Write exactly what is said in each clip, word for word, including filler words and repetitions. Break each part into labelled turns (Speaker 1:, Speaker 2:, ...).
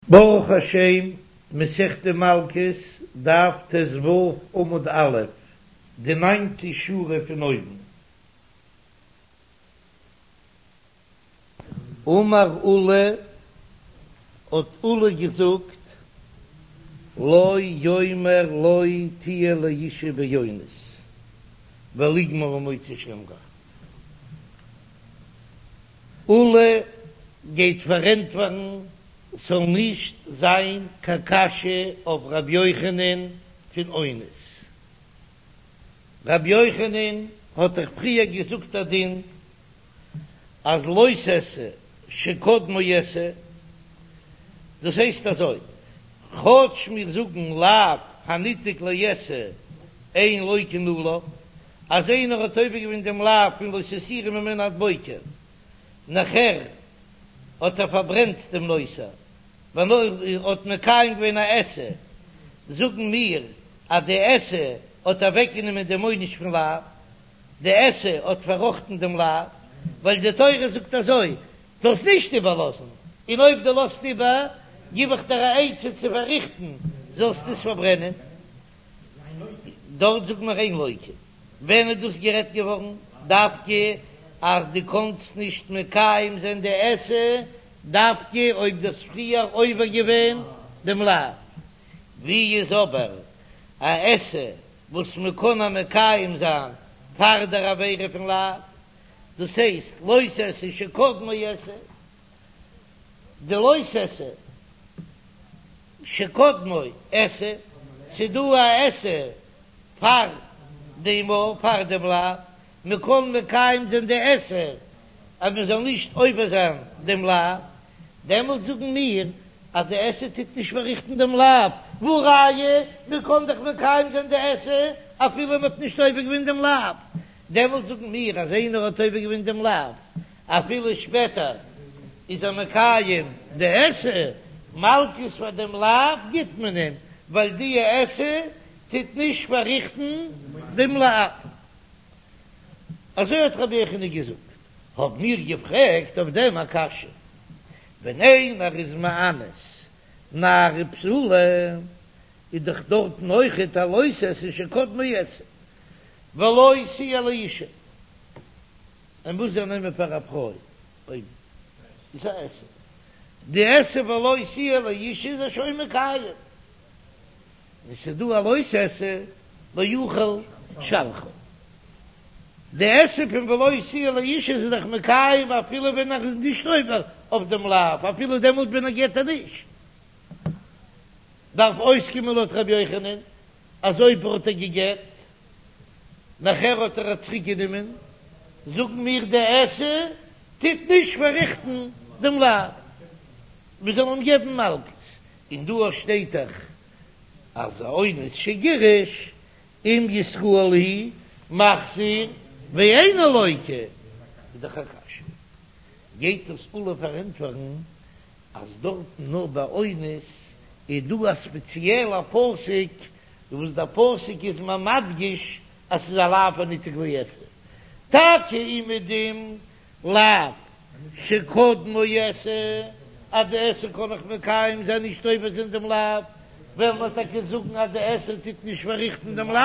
Speaker 1: ברוך השם, מסכת מלקות, דף ט"ו עמוד א', די ניינטע שורה פון אויבן. אמר עולא, האט עולא געזאגט, לא יאמר לא תהיה לאשה באונס, וליגמר ממוציא שם רע. עולא גייט פארענטפערן ס'זאל נישט זיין קיין קשיא אויף ר' יוחנן פון אונס. ר' יוחנן האט דאך פריער געזאגט א דין אז לא תעשה שקדמו עשה, דאס הייסט אזוי, כאטש מיר זאגן לאו הניתק לעשה אין לוקין עליו, אז איינער האט עובר געווען דעם לאו פון לא תותירו ממנו עד בוקר, נאכער האט ער פארברענט דעם נותר, ווייל ער האט מקיים געווען א עשה, זאגן מיר אז די עשה האט אוועקגענומען דעם עונש פון לאו, די עשה האט פארראכטן דעם לאו, ווייל די תורה זאגט אזוי, זאלסט נישט איבערלאזן, און אויב דו לאזט איבער, גיב איך דיר א עצה צו פארריכטן, זאלסט עס פארברענען. דארט זאגט מען אין לוקין. ווען איז דאס גערעדט געווארן? דווקא אז דו קאנסט נישט מקיים זיין די עשה דווקא אויב דו האסט פריער עובר געווען דעם לאו. ווי איז אבער א עשה וואס מען קען א מקיים זיין פאר דער עבירה פון לאו? דאס הייסט לא תעשה שקדמו עשה. די לא תעשה שקדמו עשה, ס'דא א עשה פאר דעם או פאר דעם לאו, מ'קען מקיים זיין די עשה אז מ'זאל נישט עובר זיין דעם לאו, דעמאלט זאגן מיר אז די עשה טוט נישט פארריכטן דעם לאו, והא ראיה, מ'קען דאך מקיים זיין די עשה אפילו מ'האט נישט עובר געווען דעם לאו, דעמאלט זאגן מיר אז איינער האט עובר געווען דעם לאו אפילו שפעטער איז ער מקיים די עשה, מלקות פאר דעם לאו גיט מען אים, ווייל די עשה טוט נישט פארריכטן דעם לאו. אזוי האט רבי יוחנן געזאגט. האבן מיר געפרעגט אויף דעם א קשיא, ווען איינער איז מאנס נערה בתולה, איז דאך דארטן אויכעט א לא תעשה שקדמו עשה, ולא תהיה לאשה. ער מוז איר נעמען פאר א פרוי אויב איז א עשה, די עשה ולא תהיה לאשה איז ער שוין מקיים, און ס'איז דא א לא תעשה לא יוכל שלחה, די עשה פון ולא תהיה לאשה איז ער דאך מקיים אפילו ווען ער איז נישט עובר אויף דעם לאו, אפילו דעמאלט ווען ער גט איר נישט, דארף אויסקומען לויט ר' יוחנן אז אויב האט ער געגט נאכער האט ער איר צוריק גענומען, זאגן מיר די עשה טוט נישט פארריכטן דעם לאו, מען זאל אים געבן מלקות, און דא שטייט דאך אז אונס שגירש אם ישראל הוא מחזיר ואינו לוקה, איז דאך א קשיא, גייט דאס עולא פארענטפערן אז דארטן נאר ביי אונס איז דא א ספעציעלע פסוק וואס דער פסוק איז מיר מדגיש אז ס'איז א לאו הניתק לעשה, טאקע אומעדום לאו שקדמו עשה, אז די עשה קען איך מקיים זיין נישט עובר זיין דעם לאו, וועלן מיר טאקע זאגן אז די עשה טוט נישט פארריכטן דעם לאו,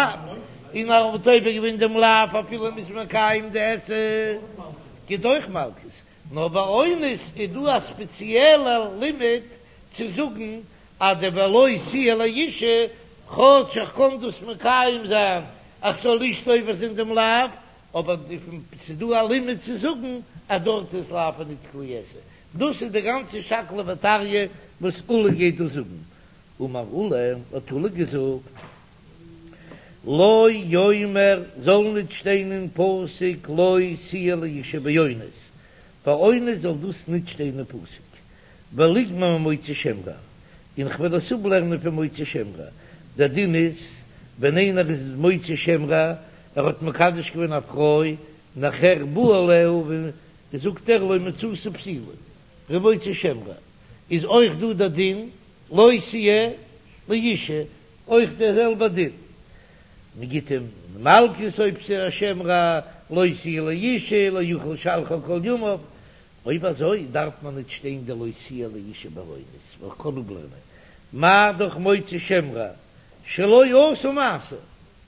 Speaker 1: און אז מ'האט עובר געווען דעם לאו אפילו מ'איז מקיים די עשה גיט אויך מלקות, נאר ביי אונס איז דא א ספעציעלע לימוד צו זאגן אז די ולא תהיה לאשה, כאטש איך קען דאס מקיים זיין איך זאל נישט עובר זיין דעם לאו, אבער ס'איז דא א לימוד צו זאגן אז דארט איז לאו הניתק לעשה. דאס איז די גאנצע שקלא וטריא וואס עולא גייט דא זאגן. אמר עולא, האט עולא געזאגט, לא יאמר, זאל ניט שטיין אין פסוק לא תהיה לאשה באונס, ביי אונס זאל דאס ניט שטיין אין פסוק, וליגמר ממוציא שם רע, און כ'וועל עס אפלערנען פון מוציא שם רע, דער דין איז, ווען איינער איז מוציא שם רע, ער האט מקדש געווען א פרוי, נאכער בא עליה און זאגט ער לא מצאתי בתולה, ער איז מוציא שם רע, איז אויך דא דער דין לא תהיה לאשה, אויך דער זעלבער דין, מען גיט אים מלקות אויב ס'איז א שם רע, לא תהיה לאשה, לא יוכל לשלחה כל ימיו, אויב אזוי דארף מען ניט שטיין די לא תהיה לאשה ביי אונס, ווייל כ'קען אפלערנען מה דאך מוציא שם רע שלא עשה מעשה,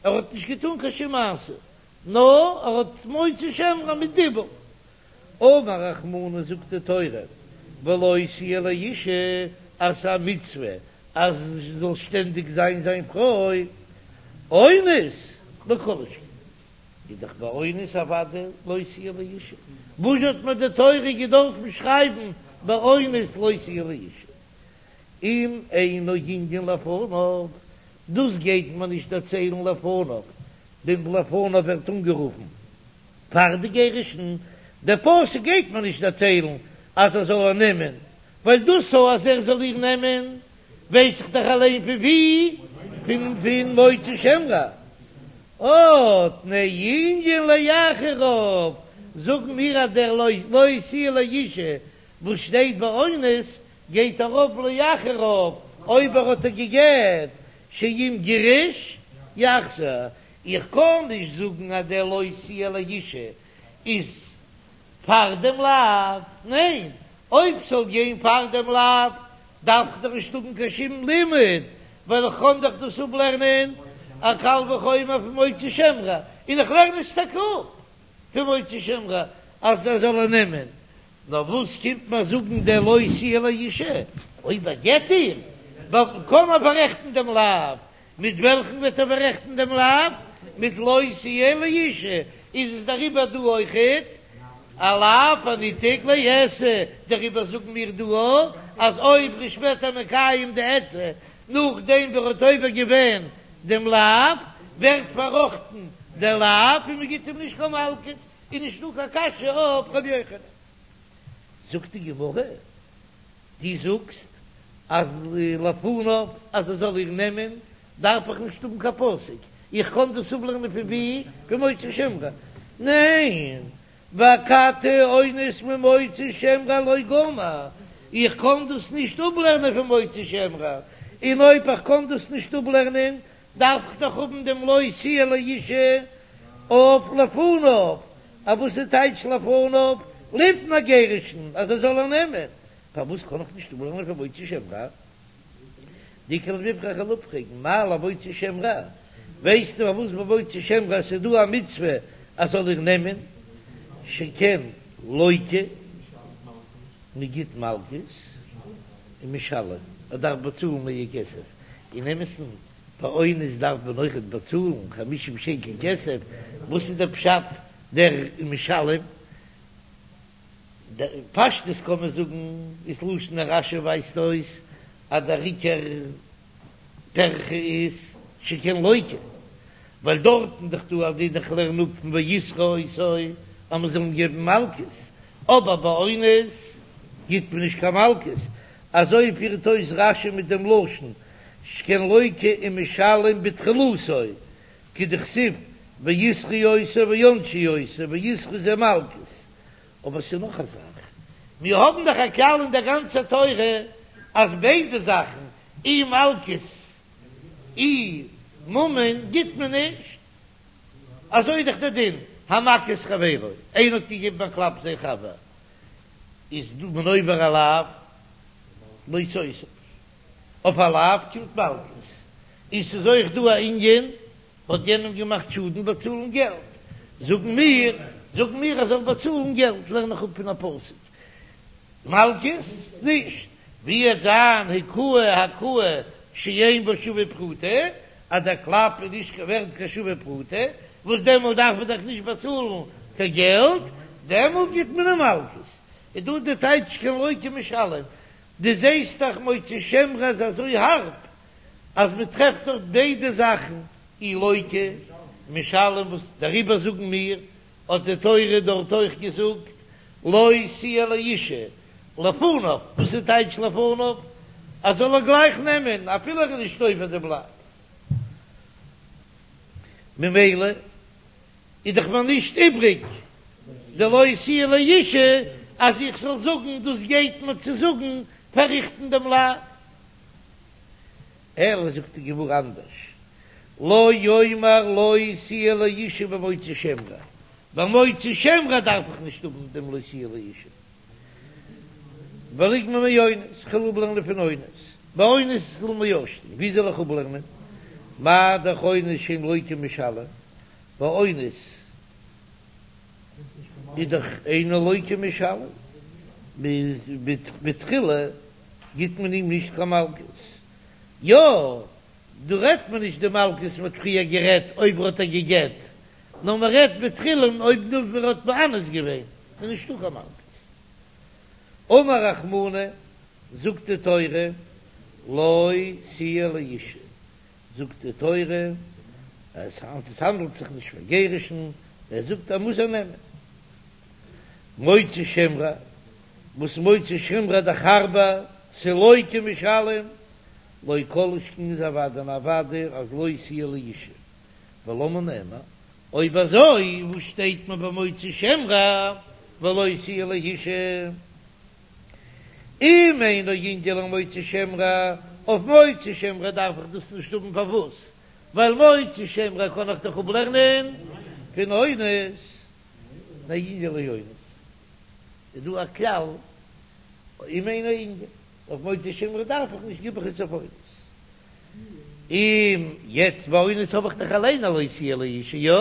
Speaker 1: ער האט נישט געטאן קיין שום מעשה, נאר ער האט מוציא שם רע מיט דיבור. אמר רחמנא זאגט די תורה ולא תהיה לאשה אז ס'איז א מצוה אז זי זאל שטענדיג זיין זיין פרוי, אונס לא כל שכן איז דאך ביי אונס אוודאי לא תהיה לאשה, וואס האט מיר די תורה געדארפן שרייבן ביי אונס לא תהיה לאשה? אם אינו ענין לפניו, דאס גייט מען נישט דערציילן לפניו, דעם לפניו ווערט אנגערופן פאר די גירושין, דער פסוק גייט מען נישט דערציילן אז ער זאל איר נעמען, ווייל דאס אז ער זאל איר נעמען ווייס איך דאך אליין פון ווי, פון פון מוציא שם רע. אה, תנא ענין לאחריו, זאגן מיר אז דער לא לא תהיה לאשה וואס שטייט ביי אונס גייט ארויף לאחריו אויב ער האט איר גע'גט, שאם גירש יחזיר, איך קען נישט זאגן אז דער לא תהיה לאשה איז פאר דעם לאו, ניין, אויב ס'זאל גיין פאר דעם לאו דארף איך דאך נישט האבן קיין שום לימוד, ווייל איך קען דאך דאס אפלערנען א קל וחומר פון מוציא שם רע, און איך לערן עס טאקע אפ פון מוציא שם רע אז ער זאל איר נעמען, נאר וואס קומט מיר זאגן דער לא תהיה לאשה, אויב ער גט איר, קען מען פאררעכטן דעם לאו, מיט וועלכן וועט ער פאררעכטן דעם לאו? מיט לא תהיה לאשה, איז עס דעריבער דא אויכעט א לאו הניתק לעשה, דעריבער זאגן מיר דא אז אויב ער איז שפעטער מקיים די עשה נאכדעם ווי ער האט עובר געווען דעם לאו, ווערט פארראכטן דער לאו און מען גיט אים נישט קיין מלקות, איז נישטא קיין קשיא אויף ר' יוחנן. זאגט די גמרא. דו זאגסט אז לפניו אז ער זאל איר נעמען דארף איך נישט האבן קיין פסוק, איך קען דאס אפלערנען פון ווי? פון מוציא שם רע? ניין, ואכתי אונס ממוציא שם רע לא גמר, איך קען דאס נישט אפלערנען פון מוציא שם רע, און אויב איך קען דאס נישט אפלערנען דארף איך דאך האבן דעם לא תהיה לאשה אויף לפניו, א וואס איז טייטש לפניו? לפני גירושין אז ער זאל איר נעמען, פארוואס קען איך נישט אפלערנען פון מוציא שם רע? דאיכא למיפרך, כ'וועל אפפרעגן מה למוציא שם רע, ווייסטו פארוואס ביי מוציא שם רע ס'איז דא א מצוה אז זאל איר נעמען, שכן לוקה, מ'גיט מלקות ומשלם, ער דארף באצאלן מער כסף, אין אמת'ן ביי אונס דארף מען אויכעט באצאלן חמישים שקל כסף, וואס איז דער פשט דער ומשלם? פשטות קען מען זאגן איז לשון רש"י ווייזט אויס אז דער עיקר פירכא איז שכן לוקה, ווייל דארטן דאך דא א דין איך לערן אפ פון וישא אותו אז מען זאל אים געבן מלקות, אבער ביי אונס גיט מען נישט קיין מלקות, אזוי פירט אויס רש"י מיט דעם לשון שכן לוקה ומשלם בתחילתו, כדכתיב וישאו אותו וענשו אותו, וישאו זה מלקות. אבער ס'איז נאך א זאך, מיר האבן דאך א כלל אין דער גאנצער תורה אז ביידע זאכן, אי מלקות אי ממון, גיט מען נישט. אזוי איז דאך דער דין, המכה את חברו, איינער האט געגעבן א קלאפ זיין חבר, איז דא מען עובר א לאו, לא תוסיף. אויף א לאו קומט מלקות, און ס'איז אויך דא א ענין, האט יענעם געמאכט שאדן באצאלן געלט, זאגן מיר, זאגן מיר ער זאל באצאלן געלט, לערן איך אפ פון א פסוק, מלקות נישט, ווי עט זיין הכהו הכאה שאין בה שווה פרוטה, אז דער קלאפ איז נישט ווערד קיין שווה פרוטה, וואס דעמאלט דארף מען דאך נישט באצאלן קיין געלט, דעמאלט גיט מען אים מלקות, איז דא די טייטש שכן לוקה ומשלם, דו זעסט דאך מוציא שם רע איז אזוי הארב אז מען טרעפט דארט ביידע זאכן, אי לוקה ומשלם וואס דעריבער זאגן מיר האט די תורה דארט אויך געזאגט לא תהיה לאשה לפניו, וואס איז טייטש לפניו? אז זאל ער גלייך נעמען אפילו ער איז נישט עובר דעם לאו, ממילא איז דאך מיר נישט איבריג די לא תהיה לאשה אז איך זאל זאגן דאס גייט מיר צו זאגן פארריכטן דעם לאו. אלא זאגט די גמרא אנדערש, לא יאמר לא תהיה לאשה במוציא שם רע, ביי מוציא שם רע דארף איך נישט האבן דעם לא תהיה לאשה, וליגמר מאונס, כ'וועל אפלערנען פון אונס, ביי אונס למה שתא, ווי זאל איך אפלערנען? מה דאך אונס שאין לוקה ומשלם, ביי אונס איז דאך אינו לוקה ומשלם, בתחילה גיט מען אים נישט קיין מלקות, יא, דא רעדט מען נישט די מלקות מ'האט פריער גערעדט אויב ער האט איר גע'גט, נאר מען רעדט בתחילה אויב נאר ער האט מאנס געווען איז נישטא קיין מלקות. אמר רחמנא, זאגט די תורה, לא תהיה לאשה, זאגט די תורה אז עס האנדלט זיך נישט פון גירושין, ער זאגט ער מוז איר נעמען. מוציא שם רע, וואס מוציא שם רע דאך הארבער, ס'לוקה ומשלם, לא כל שכן איז אוודאי און אוודאי אז לא תהיה לאשה, ולמה נאמר, אויב אזוי וואס שטייט מען ביי מוציא שם רע ולא תהיה לאשה? אם אינו ענין למוציא שם רע, אויף מוציא שם רע דארף איך דאס נישט האבן פארוואס? ווייל מוציא שם רע קען איך דאך אפלערנען פון אונס, תנהו ענין לאונס איז דא א כלל אם אינו ענין, אויף מוציא שם רע דארף איך נישט גיב איך עס אויף אונס. אם יעצט ביי אונס האב איך דאך אליין א לא תהיה לאשה, יא?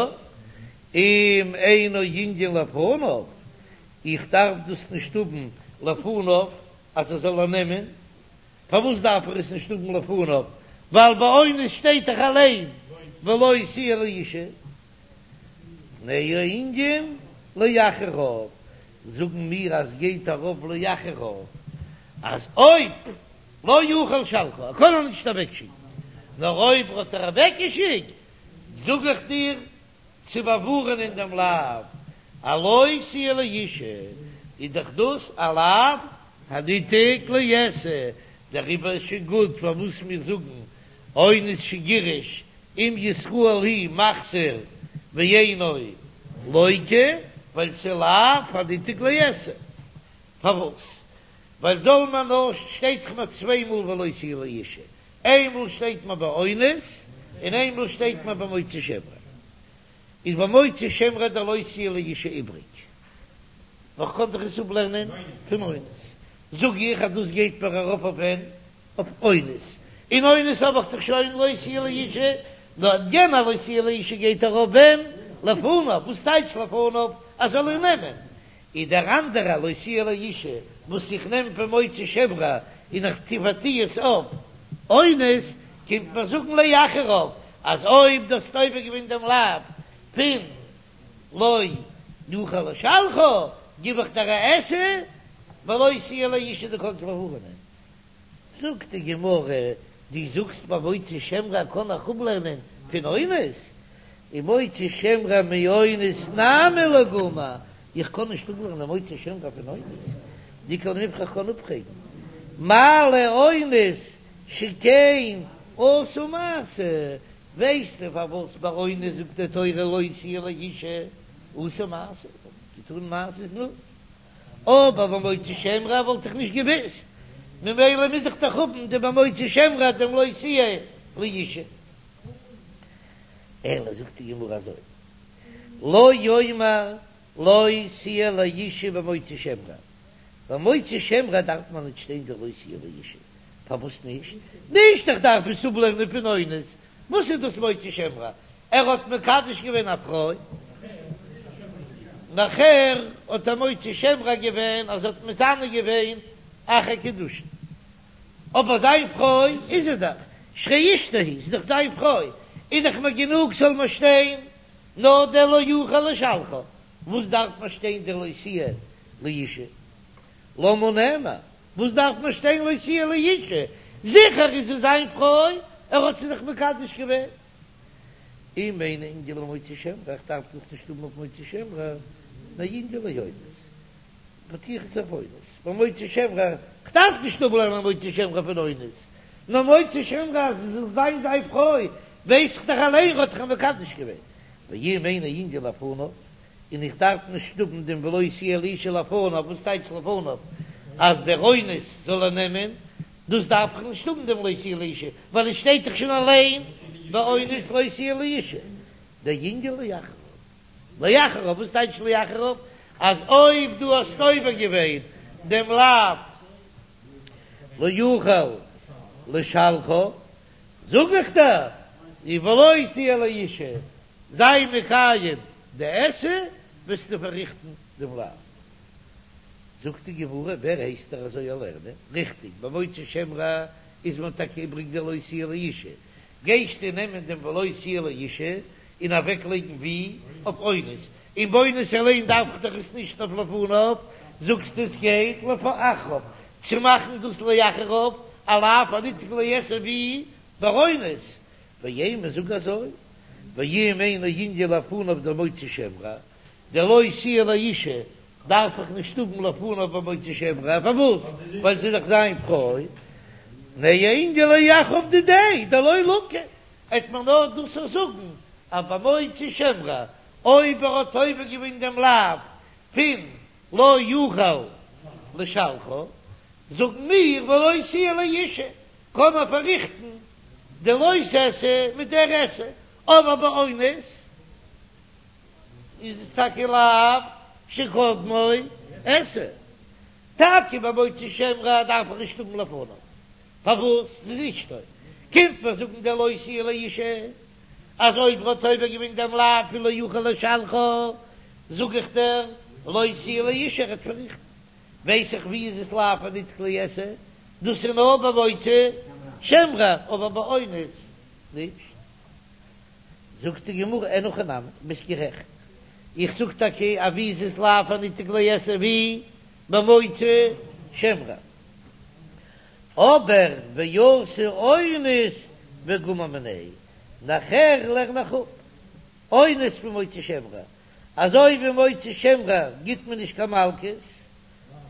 Speaker 1: אם אינו ענין לפניו, איך דארף דאס נישט האבן לפניו אז ער זאל איר נעמען, פארוואס דארף איך עס נישט האבן לפניו? ווייל ביי אונס שטייט דאך אליין ולא תהיה לאשה. תנהו ענין לאחריו, זאגן מיר אז גייט ארויף לאחריו אז אויב לא יוכל לשלחה, ער קען איר נישט אוועקשיקן, נאר אויב האט ער אוועקגעשיקט, זאג איך דיר צו באווארענען דעם לאו, א לא תהיה לאשה, איז דאך דאס א לאו הניתק לעשה, דעריבער איז שוין גוט פארוואס מיר זאגן אונס שגירש אם ישראל הוא מחזיר ואינו לוקה, ווייל ס'איז לאו הניתק לעשה. פארוואס? ווייל זאל מען נאר שטייט דאך מיר צוויי מאל ולא תהיה לאשה, איינמאל שטייט מען ביי אונס און איינמאל שטייט מען ביי מוציא שם רע, איז ביי מוציא שם רע דער לא תהיה לאשה איבריג, נאר כ'קען דאך עס אפלערנען פון אונס, זאג איך אז דאס גייט מיר ארויף אויף ווען? אויף אונס, און אונס האב איך דאך שוין לא תהיה לאשה, נאר יענע לא תהיה לאשה גייט ארויף ווען? לפניו, וואס טייטש לפניו? אז זאל איר נעמען, איז דער אנדערע לא תהיה לאשה וואס איך נעם פון מוציא שם רע און איך טו פארטו עס אויף אונס, קומט מיר זאגן לאחריו אז אויב דו האסט עובר געווען דעם לאו פון לא יוכל לשלחה גיב איך דיר א עשה ולא תהיה לאשה דו קענסט באווארענען. זאגט די גמרא, דו זאגסט ביי מוציא שם רע קען איך אפלערנען פון אונס, און מוציא שם רע מאונס נמי לא גמר, איך קען נישט אפלערנען מוציא שם רע פון אונס, דאיכא למיפרך איך קען אפפרעגן מה לאונס שכן עשה מעשה, ווייסטו פארוואס ביי אונס זאגט די תורה לא תהיה לאשה עשה מעשה, געטון מעשה זנות. אבער במוציא שם רע וואלט איך נישט געוואוסט, ממילא מוז איך דאך האבן די במוציא שם רע דעם לא תהיה לאשה. אלא זאגט די גמרא אזוי, לא יאמר לא תהיה לאשה במוציא שם רע, במוציא שם רע דארף מען נישט שטיין די לא תהיה לאשה, פארוואס נישט? נישט איך דארף עס אפלערנען פון אונס, וואס איז דאס מוציא שם רע? ער האט מקדש געווען א פרוי, נאכער האט ער מוציא שם רע געווען אז ער האט מזנה געווען אחר קידושין, אבער זיין פרוי איז ער דאך, שהרי אשתו היא, ס'איז דאך זיין פרוי, איז דאך מיר גענוג זאל מיר שטיין נאר דער לא יוכל לשלחה, וואס דארף מיר שטיין דער לא תהיה לאשה? למה נאמר? וואס דארף מען שטיין לא תהיה לאשה? זיכער איז זי זיין פרוי, ער האט זי דאך מקדש געווען. אם אינו ענין למוציא שם רע, איך דארף דאס נישט האבן אויף מוציא שם רע, תנהו ענין לאונס, פארטו איך עס אויף אונס, ביי מוציא שם רע, איך דארף נישט אפלערנען מוציא שם רע פון אונס, נאר מוציא שם רע אז זי זאל זיין זיין פרוי, ווייס איך דאך אליין ער האט דאך מקדש געווען. ואם אינו ענין לפניו, און איך דארף נישט האבן דעם ולא תהיה לאשה לפניו, וואס טייטש לפניו? אז דער אונס זאל ער נעמען, דאס דארף איך נישט האבן דעם לא תהיה לאשה, ווייל עס שטייט דאך שוין אליין באונס לא תהיה לאשה. דער ענין לאחריו, לאחריו, וואס טייטש לאחריו? אז אויב דו האסט עובר געווען דעם לאו לא יוכל לשלחה, זאג איך דיר, ולא תהיה לאשה, זיי מקיים די עשה, וועסטו פארריכטן דעם לאו. זאגט די גמרא, ווער הייסט דיר אזוי לערנען? ריכטיג, במוציא שם רע איז מיר טאקע איבריג די לא תהיה לאשה, גייסטו נעמען דעם ולא תהיה לאשה און אוועק לייגן ווי? אויף אונס, און ביי אונס אליין דארף איך דאך עס נישט אויף לפניו, זאגסטו עס גייט לאחריו, צו מאכן דאס לאחריו א לאו הניתק לעשה ווי ביי אונס, ואימא זאג אזוי, ואם אינו ענין לפניו דמוציא שם רע, די לא תהיה לאשה דארף איך נישט האבן לפניו במוציא שם רע, פארוואס? ווייל זי איז דאך זיין פרוי, תהא ענין לאחריו דידיה דלא לקי, עט מען נאר דאס זאגן אז במוציא שם רע אויב ער האט עובר געווען דעם לאו פון לא יוכל לשלחה, זאגן מיר ולא תהיה לאשה, קען מען פארריכטן די לא תעשה מיט דער עשה, אבער ביי אונס איז עס טאקע לאו שקדמו עשה, טאקע ביי מוציא שם רע דארף איך נישט האבן לפניו, פארוואס ס'איז אשתו? קומט מיר זאגן דער לא תהיה לאשה אז אויב ר'האט עובר געווען דעם לאו פון לא יוכל לשלחה זאג איך דיר לא תהיה לאשה ער וועט פארריכטן, ווייס איך ווי איז עס לאו הניתק לעשה, דאס איז נאר ביי מוציא שם רע אבער ביי אונס נישט. זאגט די גמרא אין הכי נמי, ביסט גערעכט, איך זאג טאקע אז ווי איז עס לאו הניתק לעשה ווי במוציא שם רע, אבער ואתא אונס וגמר מיניה, נאכער לערן איך אפ אונס פון מוציא שם רע, אזוי ווי מוציא שם רע גיט מען נישט קיין מלקות,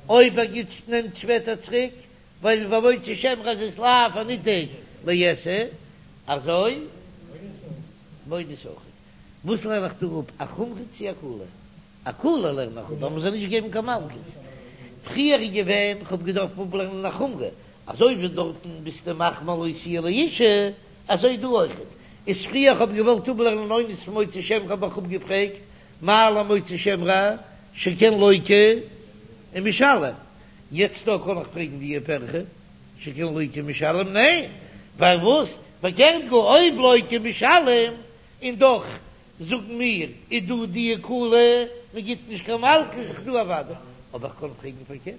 Speaker 1: אויב ער גיט נעמט שפעטער צוריק, ווייל במוציא שם רע איז עס לאו הניתק לעשה, אזוי באונס אויך. וואס לערן איך דא אפ, א חומרא צי א קולא? א קולא לערן איך אפ אז מ'זאל נישט געבן קיין מלקות. פריער איז געווען, כ'האב געדארפט אפלערנען א חומרא, אזוי ווי דארטן ביסטו מחמיר לא תהיה לאשה, אזוי דא אויכעט. איז פריער כ'האב געוואלט אפלערנען אונס פון מוציא שם רע האב איך אפגעפרעגט מה למוציא שם רע שכן לוקה ומשלם, יעצט דא קען איך פרעגן די פירכא שכן לוקה ומשלם? ניין, פארוואס? פארקערט גאר אויב לוקה ומשלם און דאך זאגן מיר איז דא די קולא מען גיט נישט קיין מלקות איז דא אוודאי, אבער איך קען פרעגן פארקערט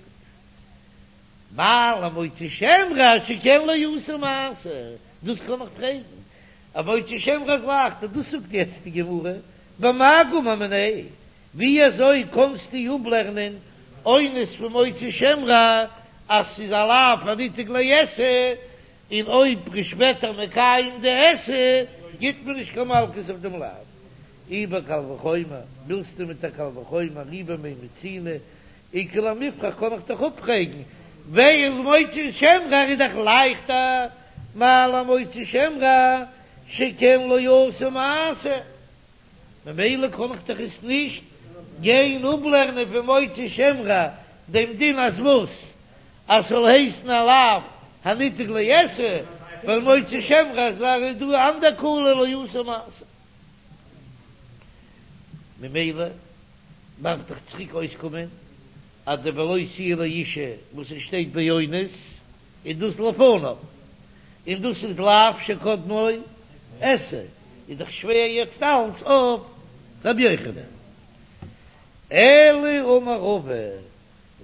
Speaker 1: מה למוציא שם רע שכן לא עשה מעשה, דאס קען איך פרעגן אז מוציא שם רע איז לייכטער, דאס זאגט יעצט די גמרא במאי גמר מיניה, ווי אזוי קענסטו אפלערנען אונס פון מוציא שם רע אז ס'איז א לאו הניתק לעשה, און אויב ר'איז שפעטער מקיים די עשה גיט מען נישט קיין מלקות אויף דעם לאו? אי בקל וחומר, ווילסטו מיט א קל וחומר, אי במי מצינו, איכא למיפרך קען איך דיך אפפרעגן, ווייל מוציא שם רע איז דאך לייכטער, מה למוציא שם רע שכן לא עשה מעשה. ממילא קען איך דאך עס נישט גיין אפלערנען פון מוציא שם רע דעם דין אז וואס? אז ס'זאל הייסן א לאו הניתק לעשה, ווייל מוציא שם רע איז דא אנדער קולא לא עשה מעשה. ממילא דארף דאך צוריק אויסקומען אז די ולא תהיה לאשה וואס עס שטייט באונס איז דאס לפניו, און דאס איז לאו שקדמו עשה, איז דאך שווער יעצט אלס אויף רבי יוחנן. אלא אמר רבא,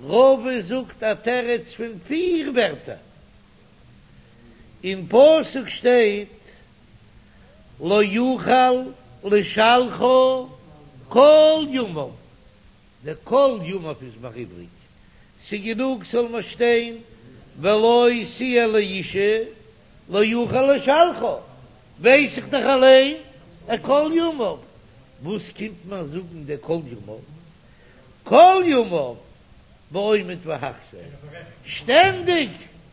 Speaker 1: רבא זאגט א תירוץ פון פיר ווערטער, אין פסוק שטייט לא יוכל לשלחה כל ימיו, די כל ימיו איז מיר איבריג, ס'גענוג ס'זאל מיר שטיין ולא תהיה לאשה לא יוכל לשלחה, ווייס איך דאך אליין א כל ימיו, וואס קומט מיר זאגן די כל ימיו? כל ימיו בעומד והחזיר, שטענדיג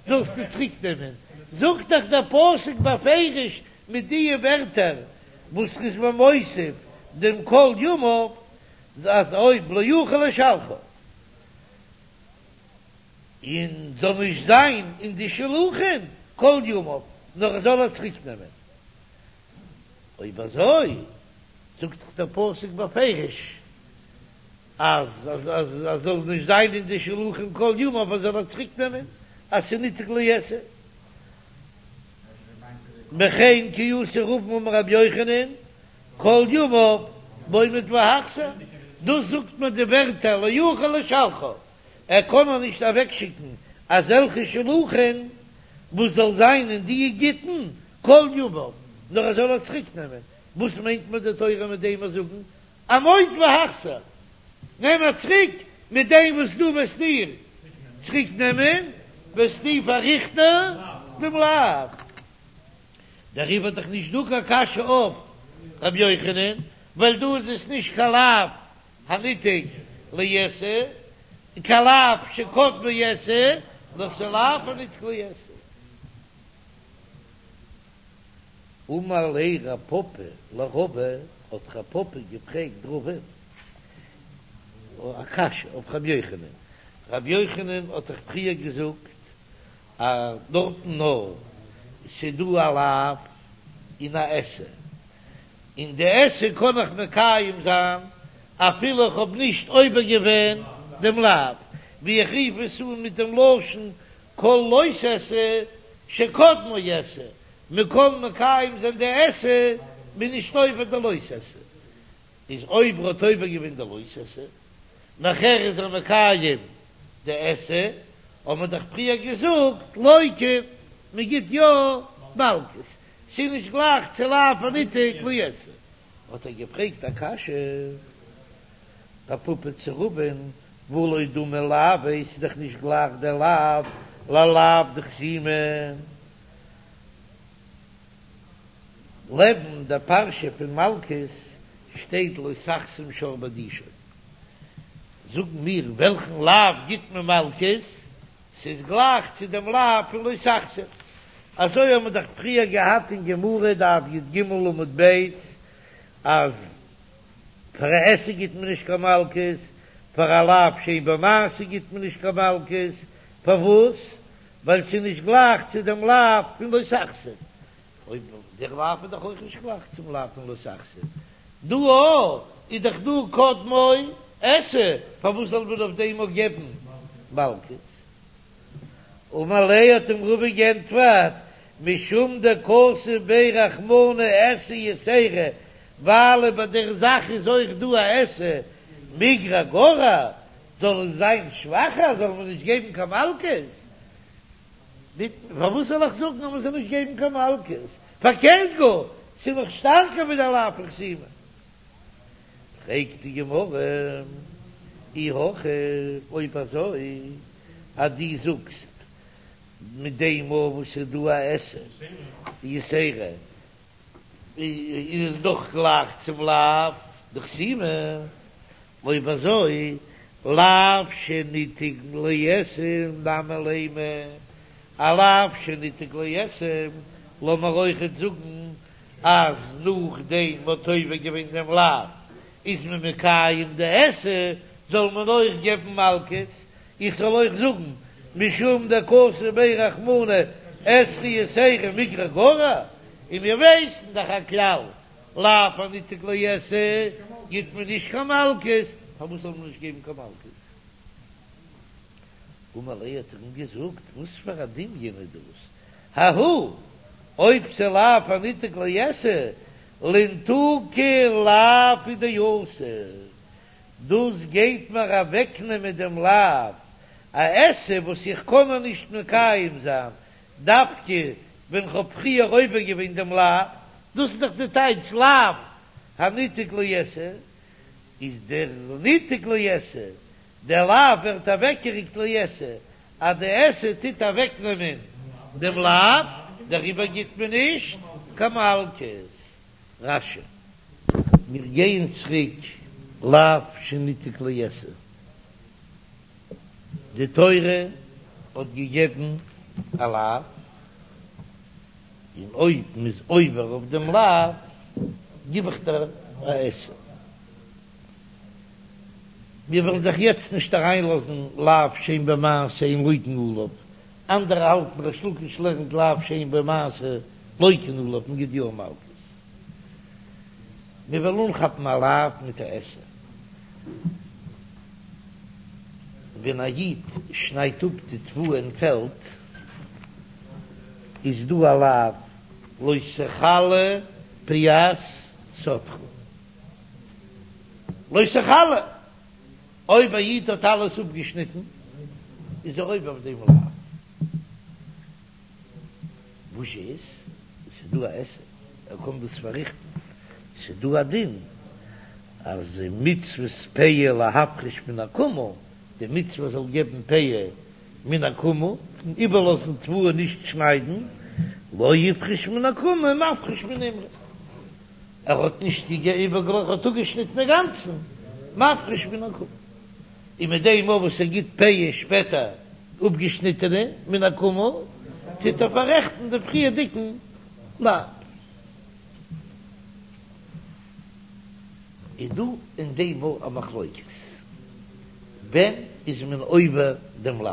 Speaker 1: זאלסטו צוריק נעמען, זאגט דאך דער פסוק בפירוש מיט די ווערטער וואס ר'איז מיר מוסיף דעם כל ימיו, אז אויב לא יוכל לשלחה און זאל נישט זיין אין די שלוחים כל ימיו, נאר ער זאל ער צוריק נעמען. אויב אזוי זאגט דאך דער פסוק בפירוש אז אז אז זאל נישט זיין אין די שלוחים כל ימיו, ער זאל ער צוריק נעמען, אז ס'איז ניתק לעשה. וכן כי אתא רבין אמר רבי יוחנן כל ימיו במוד והחזר, דאס זאגט מען די ווערטער לא יוכל לשלחה, ער קען איר נישט אוועקשיקן אזעלכע שלוחים וואס זאל זיין אין די גיטין כל ימיו, נאר ער זאל איר צוריק נעמען, וואס מיינט מיר די תורה מיט דעם זאגן עמוד והחזר, נעם איר צוריק, מיט דעם וואס דו וועסט איר צוריק נעמען וועסטו פארריכטן דעם לאו. דעריבער איז דאך נישט דא קיין קשיא אויף רבי יוחנן, ווייל דא איז עס נישט קיין לאו הניתק לעשה, קיין לאו שקדמו עשה, נאר ס'איז לאו הניתק לעשה. אמר ליה רב פפא לרבא, האט רב פפא געפרעגט רבא'ן א קשיא אויף רבי יוחנן, רבי יוחנן האט דאך פריער געזאגט אז דארטן נאר ס'דא א לאו און א עשה, און די עשה קען איך מקיים זיין אפילו איך האב נישט עובר געווען דעם לאו, ווי איך רוף עס אן מיט דעם לשון כל לא תעשה שקדמו עשה, מען קען מקיים זיין די עשה מ'איז נישט עובר די לא תעשה, איז אויב ער האט עובר געווען די לא תעשה, נאכער איז ער מקיים די עשה, האט מען דאך פריער געזאגט לוקין, מען גיט יא מלקות, ס'איז נישט גלייך צו לאו הניתק לעשה. האט ער געפרעגט א קשיא, רב פפא צו רבא'ן, והא לא דמי לאו, ס'איז דאך נישט גלייך דער לאו ללאו דחתימה. לעבן דער פרשה פון מלקות שטייט לא תחסום שור בדישו. זאגן מיר וועלכן לאו גיט מען מלקות? ס'איז גלייך צו דעם לאו פון לא תחסום. אזוי האבן מיר דאך פריער געהאט אין גמרא דף י"ג עמוד ב' אז פאר א עשה גיט מען נישט קיין מלקות, פאר א לאו שאין בו מעשה גיט מען נישט קיין מלקות, פארוואס? ווייל ס'איז נישט גלייך צו דעם לאו פון לא תחסום. אויב דער לאו איז דאך אויך נישט גלייך צום לאו פון לא תחסום. דא אויך איז דאך דא קדמו עשה, פארוואס זאל מען אויף דעם אויך געבן מלקות? אמר ליה האט אים רבא גענטפערט, משום דכתב ביה רחמנא עשה יתירא, ווייל ביי דער זאך איז אויך דא א עשה, מיגרע גרע, זאל עס זיין שוואכער, זאל מען נישט געבן קיין מלקות? פארוואס זאל איך זאגן אז מען זאל נישט געבן קיין מלקות? פארקערט גאר, ס'איז נאך שטארקער ווי דער לאו פון חתימה. פרעגט די גמרא, אי הכי, אויב אזוי אז דו זאגסט מיט דעם מאל וואס ס'איז דא א עשה יתירא, איז עס דאך גלייך צום לאו דחתימה, אויב אזוי לאו שניתק לעשה נמי לימא, א לאו שניתק לעשה, לאמיר אויכעט זאגן אז נאכדעם מ'האט עובר געווען דעם לאו איז מען מקיים די עשה, זאל מען אויך געבן מלקות, איך זאל אויך זאגן משום דכתב ביה רחמנא עשה יתירא מיגרע גרע, און מיר ווייסן דאך א כלל לאו הניתק לעשה גיט מען נישט קיין מלקות, פארוואס זאל מען נישט געבן קיין מלקות? אמר ליה האט ער אים געזאגט, וואס פאר א דמיון איז דאס? ההוא, אויב ס'לאו הניתק לעשה, לנתוקי לאו הוא דאתא, דאס גייט מיר אוועקנעמען דעם לאו, א עשה וואס איך קען נאר נישט מקיים זיין דווקא ווען כ'האב פריער עובר געווען דעם לאו, דאס איז דאך די טייטש לאו הניתק לעשה, איז דער ניתק לעשה, דער לאו ווערט אוועקגעריקט לעשה, אז די עשה טוט אוועקנעמען דעם לאו, דעריבער גיט מען נישט קיין מלקות. רש"י. מיר גייען צוריק לאו שניתק לעשה. די תורה האט געגעבן א לאו, און אויב מ'איז עובר אויף דעם לאו, גיב איך דיר א עשה. מיר וועלן זיך יעצט נישט אריינלאזן לאו שאין בו מעשה אין לוקין עליו, אנדערע האלטן ריש לקיש לערנט לאו שאין בו מעשה לוקין עליו מ'גיט יא מלקות. מיר וועלן אנכאפן א לאו מיט א עשה. ווען א איד שניידט אפ די תבואה אין פעלד, איז דא א לאו לא תכלה פאת שדך. לא תכלה, אויב א איד האט אלעס אפגעשניטן, איז ער עובר אויף דעם לאו. וואס איז? ס'איז דא א עשה, ער קען דאס פארריכטן, ס'איז דא א דין אז מצות פאה להפריש מן העקומה, די מצוה זאל געבן פאה מן העקומה, פון איבערלאזן תבואה נישט שניידן, לא הפריש מן העקומה מפריש מן אימורין, ער האט נישט איבערגעלאזט, ער האט אפגעשניטן אינגאנצן, מפריש מן העקומה. און מיט דעם אויך וואס ער גיט פאה שפעטער אפגעשניטענע מן העקומה, טוט ער פאררעכטן די פריערדיגן לאו. איז דא אין דעם אויך א מחלוקת, ווען איז מען עובר דעם לאו?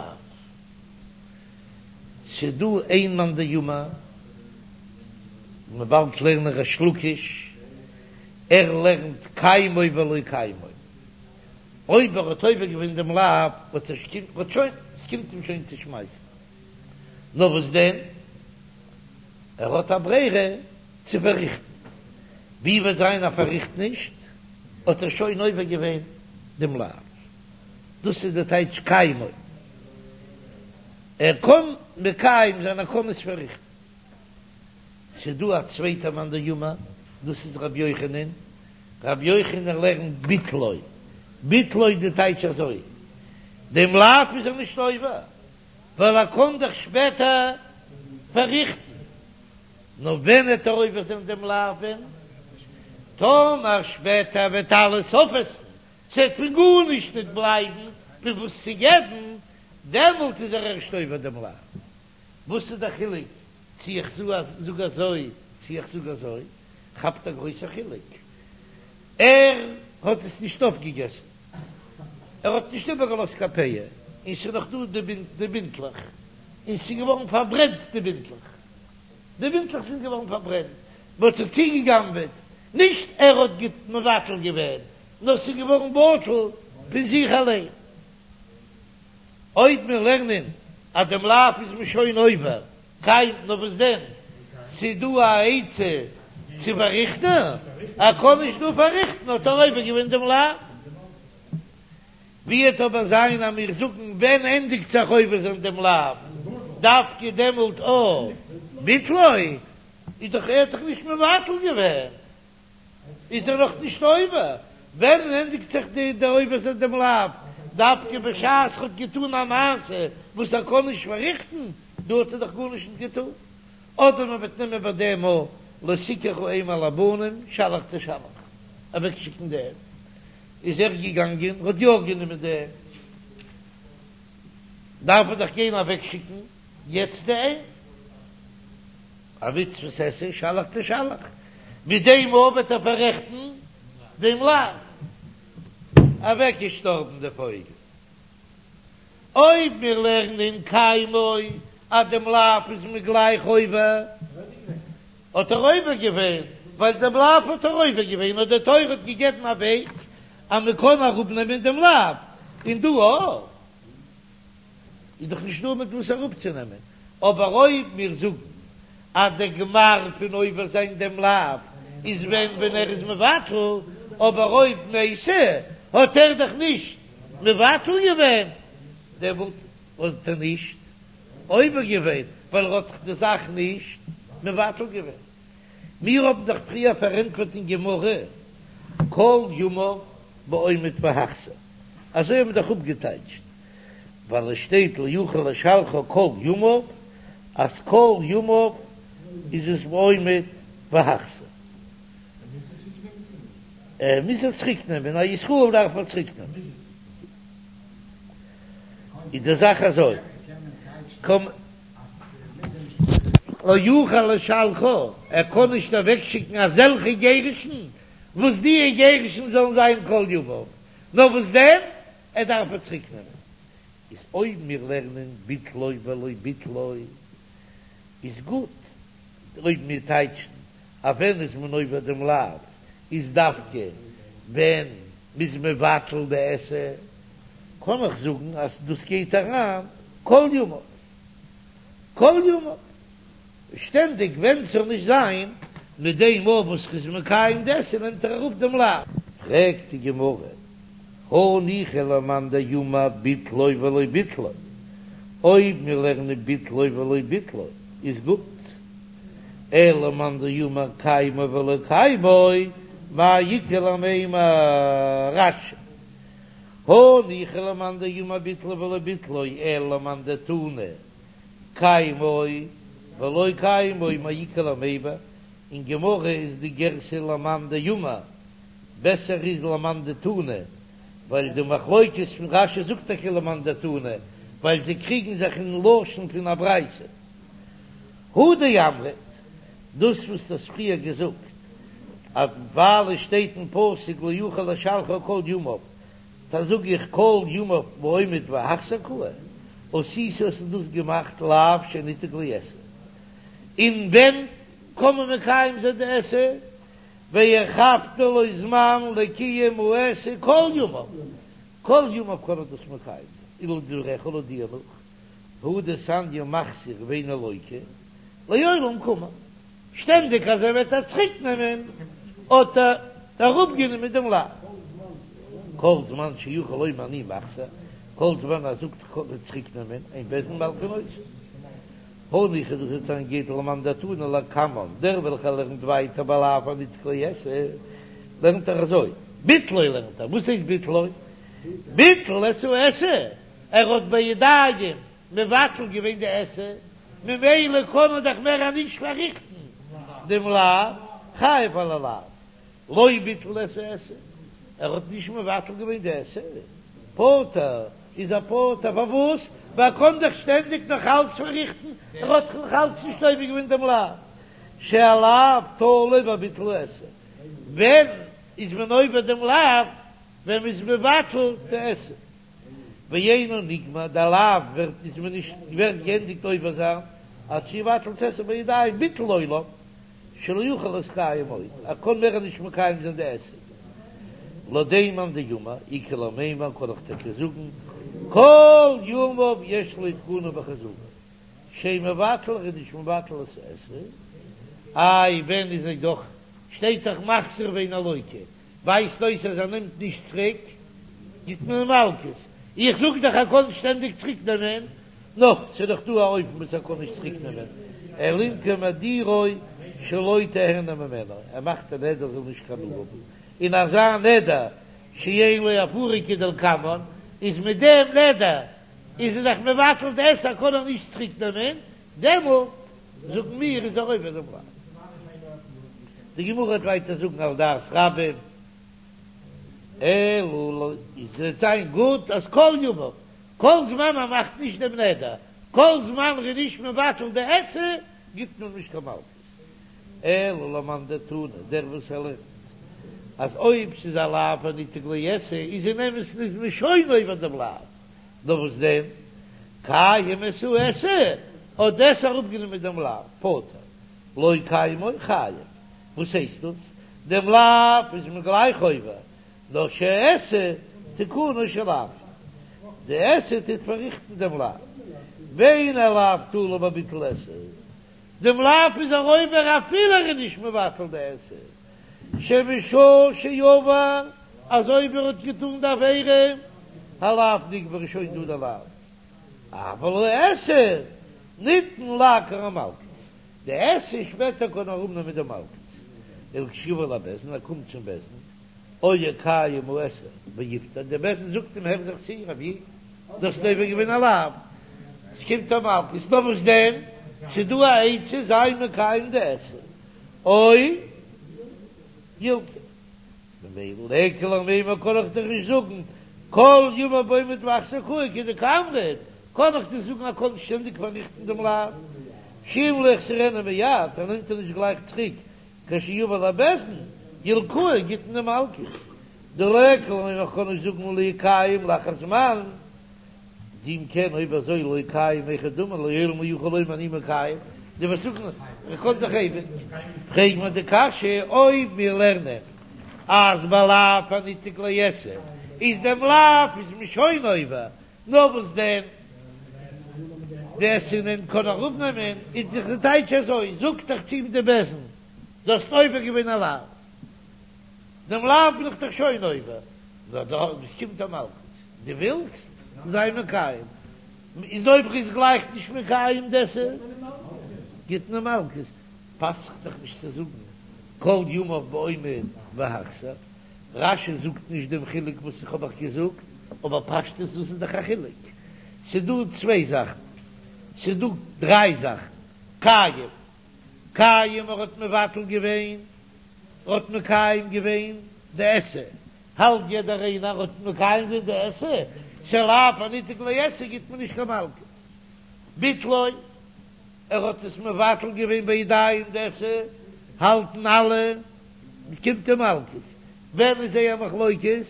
Speaker 1: ס'איז דא איין מאן דאמר, מ'וועט באלד לערנען ריש לקיש, ער לערנט קיימו ולא קיימו. אויב ער האט עובר געווען דעם לאו, האט ער האט שוין, עס קומט אים שוין צו שמייסן. נאר וואס דען, ער האט א ברירה צו פארריכטן. ווי וועט זיין ער פארריכט נישט, האט ער שוין עובר געווען דעם לאו. דאס איז די טייטש קיימו. ער קען מקיים זיין, ער קען עס פארריכטן. ס'איז דא א צווייטע מאן דאמר, דאס איז רבי יוחנן, רבי יוחנן לערנט ביטלו, ביטלו איז די טייטש אזוי, דעם לאו איז ער נישט עובר, ווייל ער קען דאך שפעטער פארריכטן, נאר ווען וועט ער עובר זיין דעם לאו ווען? טאמער שפעטער וועט אלעס אויפעסן, ס'וועט פון גארנישט נישט בלייבן פון וואס צו געבן, דעמאלט איז ער ערשט עובר דעם לאו. וואס איז דער חילוק צו איך זאג אזוי צו איך זאג אזוי? כאפט א גרויסע חילוק. ער האט עס נישט אויפגעגעסן, ער האט נישט איבערגעלאזט קיין פאה, און ס'איז נאך דא די בינטלעך, און ס'איז געווארן פארברענט די בינטלעך, די בינטלעך זענען געווארן פארברענט, מ'האט זיך צוגעגנבעט, נישט ער האט מבטל געווען, נאר ס'איז געווארן בטל פון זיך אליין. אויב מיר לערנען אז דעם לאו איז מען שוין עובר, קיין, נאר וואס דען, ס'איז דא א עצה צו פארריכטן, ער קען נישט דא פארריכטן האט ער עובר געווען דעם לאו. ווי וועט אבער זיין אז מיר זאגן ווען ענדיגט זיך עובר זיין דעם לאו, דווקא דעמאלט או ביטלו, איז דאך ער האט דאך נישט מבטל געווען. איז ער נאך נישט עובר, ווען ענדיגט זיך די די עובר זיין דעם לאו? דווקא בשעת ער האט געטון א מעשה וואס ער קען נישט פארריכטן, דא האט ער דאך גארנישט נישט געטון. אדער מען וועט נעמען ביי דעם א לא תקח האם על הבנים שלח תשלח, אוועקשיקן די אם, איז ער געגאנגען האט יא גענומען די אם, דארף ער דאך גיין אוועקשיקן יעצט די אם. א מצוות עשה שלח תשלח, מיט דעם אויך וועט ער פאררעכטן דעם לאו. אוועקגעשטארבן די פויגל. אויב מיר לערנען קיימו אז דעם לאו איז מען גלייך עובר, האט ער עובר געווען, ווייל דעם לאו האט ער עובר געווען, נאר די תורה האט געגעבן א וועג אז מען קען אראפנעמען דעם לאו, און דא אויך. איז דאך נישט דא מיט וואס אראפצונעמען, אבער אויב מיר זאגן אז דער גמר פון עובר זיין דעם לאו איז ווען ווען ער איז מבטל, אבער אויב מתה האט ער דאך נישט מבטל געווען, דעמאלט האט ער נישט עובר געווען ווייל ער האט דאך די זאך נישט מבטל געווען. מיר האבן דאך פריער פארענטפערט אין גמרא כל ימיו בעומד והחזיר, אזוי האבן מיר דאך אפגעטייטשט, ווייל עס שטייט לא יוכל לשלחה כל ימיו, אז כל ימיו איז עס בעומד והחזיר. ער מוז עס צוריק נעמען, א ישראל דארף ער צוריק נעמען. איז די זאך אזוי, לא יוכל לשלחה, ער קען נישט אוועקשיקן אזעלכע גירושין וואס די גירושין זאלן זיין כל ימיו, נאר וואס דען? ער דארף עס צוריק נעמען. איז אויב מיר לערנען ביטלו ולא ביטלו איז גוט, אויב מיר טייטשן אז ווען איז מען עובר דעם לאו איז דווקא ווען מ'איז מבטל די עשה, קען איך זאגן אז דאס גייט אריין כל ימיו, כל ימיו, שטענדיג ווען ס'זאל נישט זיין, מיט דעם מאל וואס ר'איז מקיים די עשה נעמט ער אראפ דעם לאו. פרעגט די גמרא, הניחא למאן דאמר ביטלו ולא ביטלו, אויב מיר לערנען ביטלו ולא ביטלו איז גוט, אלא למאן דאמר קיימו ולא קיימו, מאי איכא למימר רש"י הניחא למאן דאמר ביטלו ולא ביטלו אלא למאן דתנא קיימו ולא קיימו מאי איכא למימר, אין גמרא איז די גירסא למאן דאמר בעסער איז למאן דתנא, ווייל די מחלוקת פון רש"י זאגט טאקע למאן דתנא ווייל זיי קריגן זיך אין לשון פון א ברייתא. הא דאמרת, דאס וואס דו האסט פריער געזאגט אז ווייל עס שטייט אין פסוק לא יוכל לשלחו כל ימיו, טא זאג איך כל ימיו בעומד והחזר קאי, עשית האסטו דאס געמאכט לאו שניתק לעשה, און ווען קען מען מקיים זיין די עשה? והרחבת לו זמן לקיום העשה כל ימיו, כל ימיו קען ער דאס מקיים זיין, ולדבריך לויט דיר נאך, הא דתניא מחזיר ואינו לוקה, לעולם קאמר, שטענדיג אז ער וועט איר צוריק נעמען האט ער אראפ גענומען דעם לאו. כל זמן שיכול לומר אני מחזיר, כל זמן ער זאגט איך קען צוריק נעמען, אין בית דין מלקין אותו. הניחא דאס וועט זיין גוט למאן דתנא לקמן, דער וועלכער לערנט ווייטער בלאו הניתק לעשה, לערנט ער אזוי, ביטלו לערנט ער, וואס הייסט ביטלו? ביטל את העשה, ער האט בידיים מבטל געווען די עשה, ממילא קען מען דאך מער נישט פארריכטן דעם לאו, חייב על הלאו, לא ביטל את העשה, ער האט נישט מבטל געווען די עשה, פטור איז ער פטור, פארוואס? ווייל ער קען דאך שטענדיג נאך אלץ פארריכטן, ער האט דאך נאך אלץ נישט עובר געווען דעם לאו, שהלאו תלוי בביטול העשה, ווען איז מען עובר דעם לאו? ווען מען איז מבטל די עשה. ואינו נגמר, דער לאו ווערט איז מען נישט ווערט געענדיגט עובר זיין, עד שיבטל את העשה בידיים ביטול עולם שלא יוכל להתקיים עוד, ער קען מער נישט מקיים זיין די עשה. לויט דעם מאן דאמר איכא למימר קען איך טאקע זאגן כל ימיו יש לו תקנה בחזרה שאין מבטל ער איז נישט מבטל את העשה, איי ווען איז ער דאך שטייט דאך מחזיר ואינו לוקה ווייזט אויס אז ער נעמט נישט צוריק, גיט מען אים מלקות. איך זאג דאך ער קען שטענדיג צוריק נעמען, נא, ס'איז דאך דא א אופן וואס ער קען נישט צוריק נעמען, אלא אם כן מדירו שלא תהנה ממנו, ער מאכט א נדר זאל נישט קיין הנאה האבן, און אזא נדר שאין לו הפרה כדלקמן, איז מיט דעם נדר איז ער דאך מבטל די עשה, קען ער נישט צוריק נעמען, דעמאלט זאגן מיר איז ער עובר דעם לאו. די גמרא וועט ווייטער זאגן על דעת רבים, אלא עס וועט זיין גוט אז כל ימיו, כל זמן מען מאכט נישט דעם נדר, כל זמן ר'איז נישט מבטל די עשה, גיבט מען נישט קיין מלקות. אלא למאן דתנא, דער וואס ער לערנט אז אויב ס'איז א לאו הניתק לעשה איז אין אמת'ן איז מען שוין עובר דעם לאו, נאר וואס דען, קיים את העשה, האט די עשה אראפגענומען דעם לאו, פטור, לא קיימו חייב. וואס הייסט דאס? דעם לאו איז מען גלייך עובר, נאר שהעשה תיקונו של לאו, די עשה טוט פארריכטן דעם לאו, ואין הלאו תלוי בביטול עשה, דעם לאו איז ער עובר אפילו ער איז נישט מבטל די עשה, שמשעה שעבר, אז אויב ער האט געטאן די עבירה, הלאו נגמר איז שוין דא די לאו, אבל העשה ניתן לעקור המלקות, די עשה שפעטער קען ער אראפנעמען די מלקות, ולכשיבא לבית דין ער קומט צום בית דין, או יקיים העשה ויפטר, דער בית דין זאגט אים הער זיך צו רבי דו האסט עובר געווען א לאו, עס קומט א מלקות, נאר וואס דען, ס'איז דא א עצה זיי מקיים די עשה, או ילקה. ממילא ליכא למימר קען איך דאך נישט זאגן כל ימיו בעומד והחזר קאי כדקאמרת, קען איך דיר זאגן ער קען שטענדיג פארריכטן דעם לאו, שאם לא יחזירנו מיד, ער נעמט ער נישט גלייך צוריק, כשיבא לבית דין, ילקוהו גיט מען אים מלקות, דליכא למימר איך קען נישט זאגן לא יקיים לאחר זמן, דאם כן אויב אזוי לא קיים היכי דמי לעולם לא יוכל לומר אני מקיים, דו וועסט זאגן איך קען דאך אייביג, פרעג מיר די קשיא אויב מיר לערנען אז בלאו הניתק לעשה איז דעם לאו איז מען שוין עובר, נאר וואס דען די עשה אין קען ער אראפנעמען, איז דאך די טייטש אזוי, זאגט דאך צו אים די בית דין, דו האסט עובר געווען א לאו, דעם לאו בין איך דאך שוין עובר, נאר דא עס קומט א מלקות, דו ווילסט? זיי מקיים, איז אויב ער איז גלייך נישט מקיים די עשה, גיט מען מלקות, פאסט זיך דאך נישט צו זאגן כל ימיו בעומד והחזיר. רש"י זאגט נישט דעם חילוק וואס איך האב אייך געזאגט, אבער פשטות דאס איז דאך א חילוק. ס'איז דא צוויי זאכן, ס'איז דא דריי זאכן, קיים, קיים ער האט מבטל געווען, ער האט מקיים געווען די עשה, האלט יעדער איינער האט מקיים געווען די עשה, ס'איז לאו הניתק לעשה גיט מען נישט קיין מלקות. ביטלו, ער האט עס מבטל געווען בידיים די עשה, האלטן אלע. קומט אים מלקות. ווען איז זייער מחלוקת?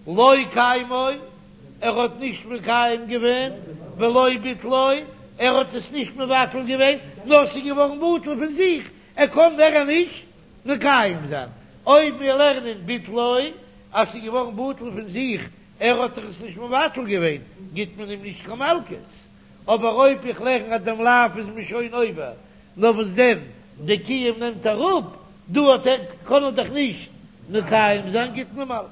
Speaker 1: לא קיימו, ער האט נישט מקיים געווען, ולא ביטלו, ער האט עס נישט מבטל געווען, נאר ס'איז געווארן בטל פון זיך, ער קען מער נישט מקיים זיין. אויב מיר לערנען ביטלו, אז ס'איז געווארן בטל פון זיך, ער האט דאך עס נישט מבטל געווען, גיט מען אים נישט קיין מלקות. אבער אויב איך לערן אז דעם לאו איז מען שוין עובר, נאר וואס דען, די קיום נעמט אראפ, דא האט ער, קען ער דאך נישט מקיים זיין, גיט מען מלקות.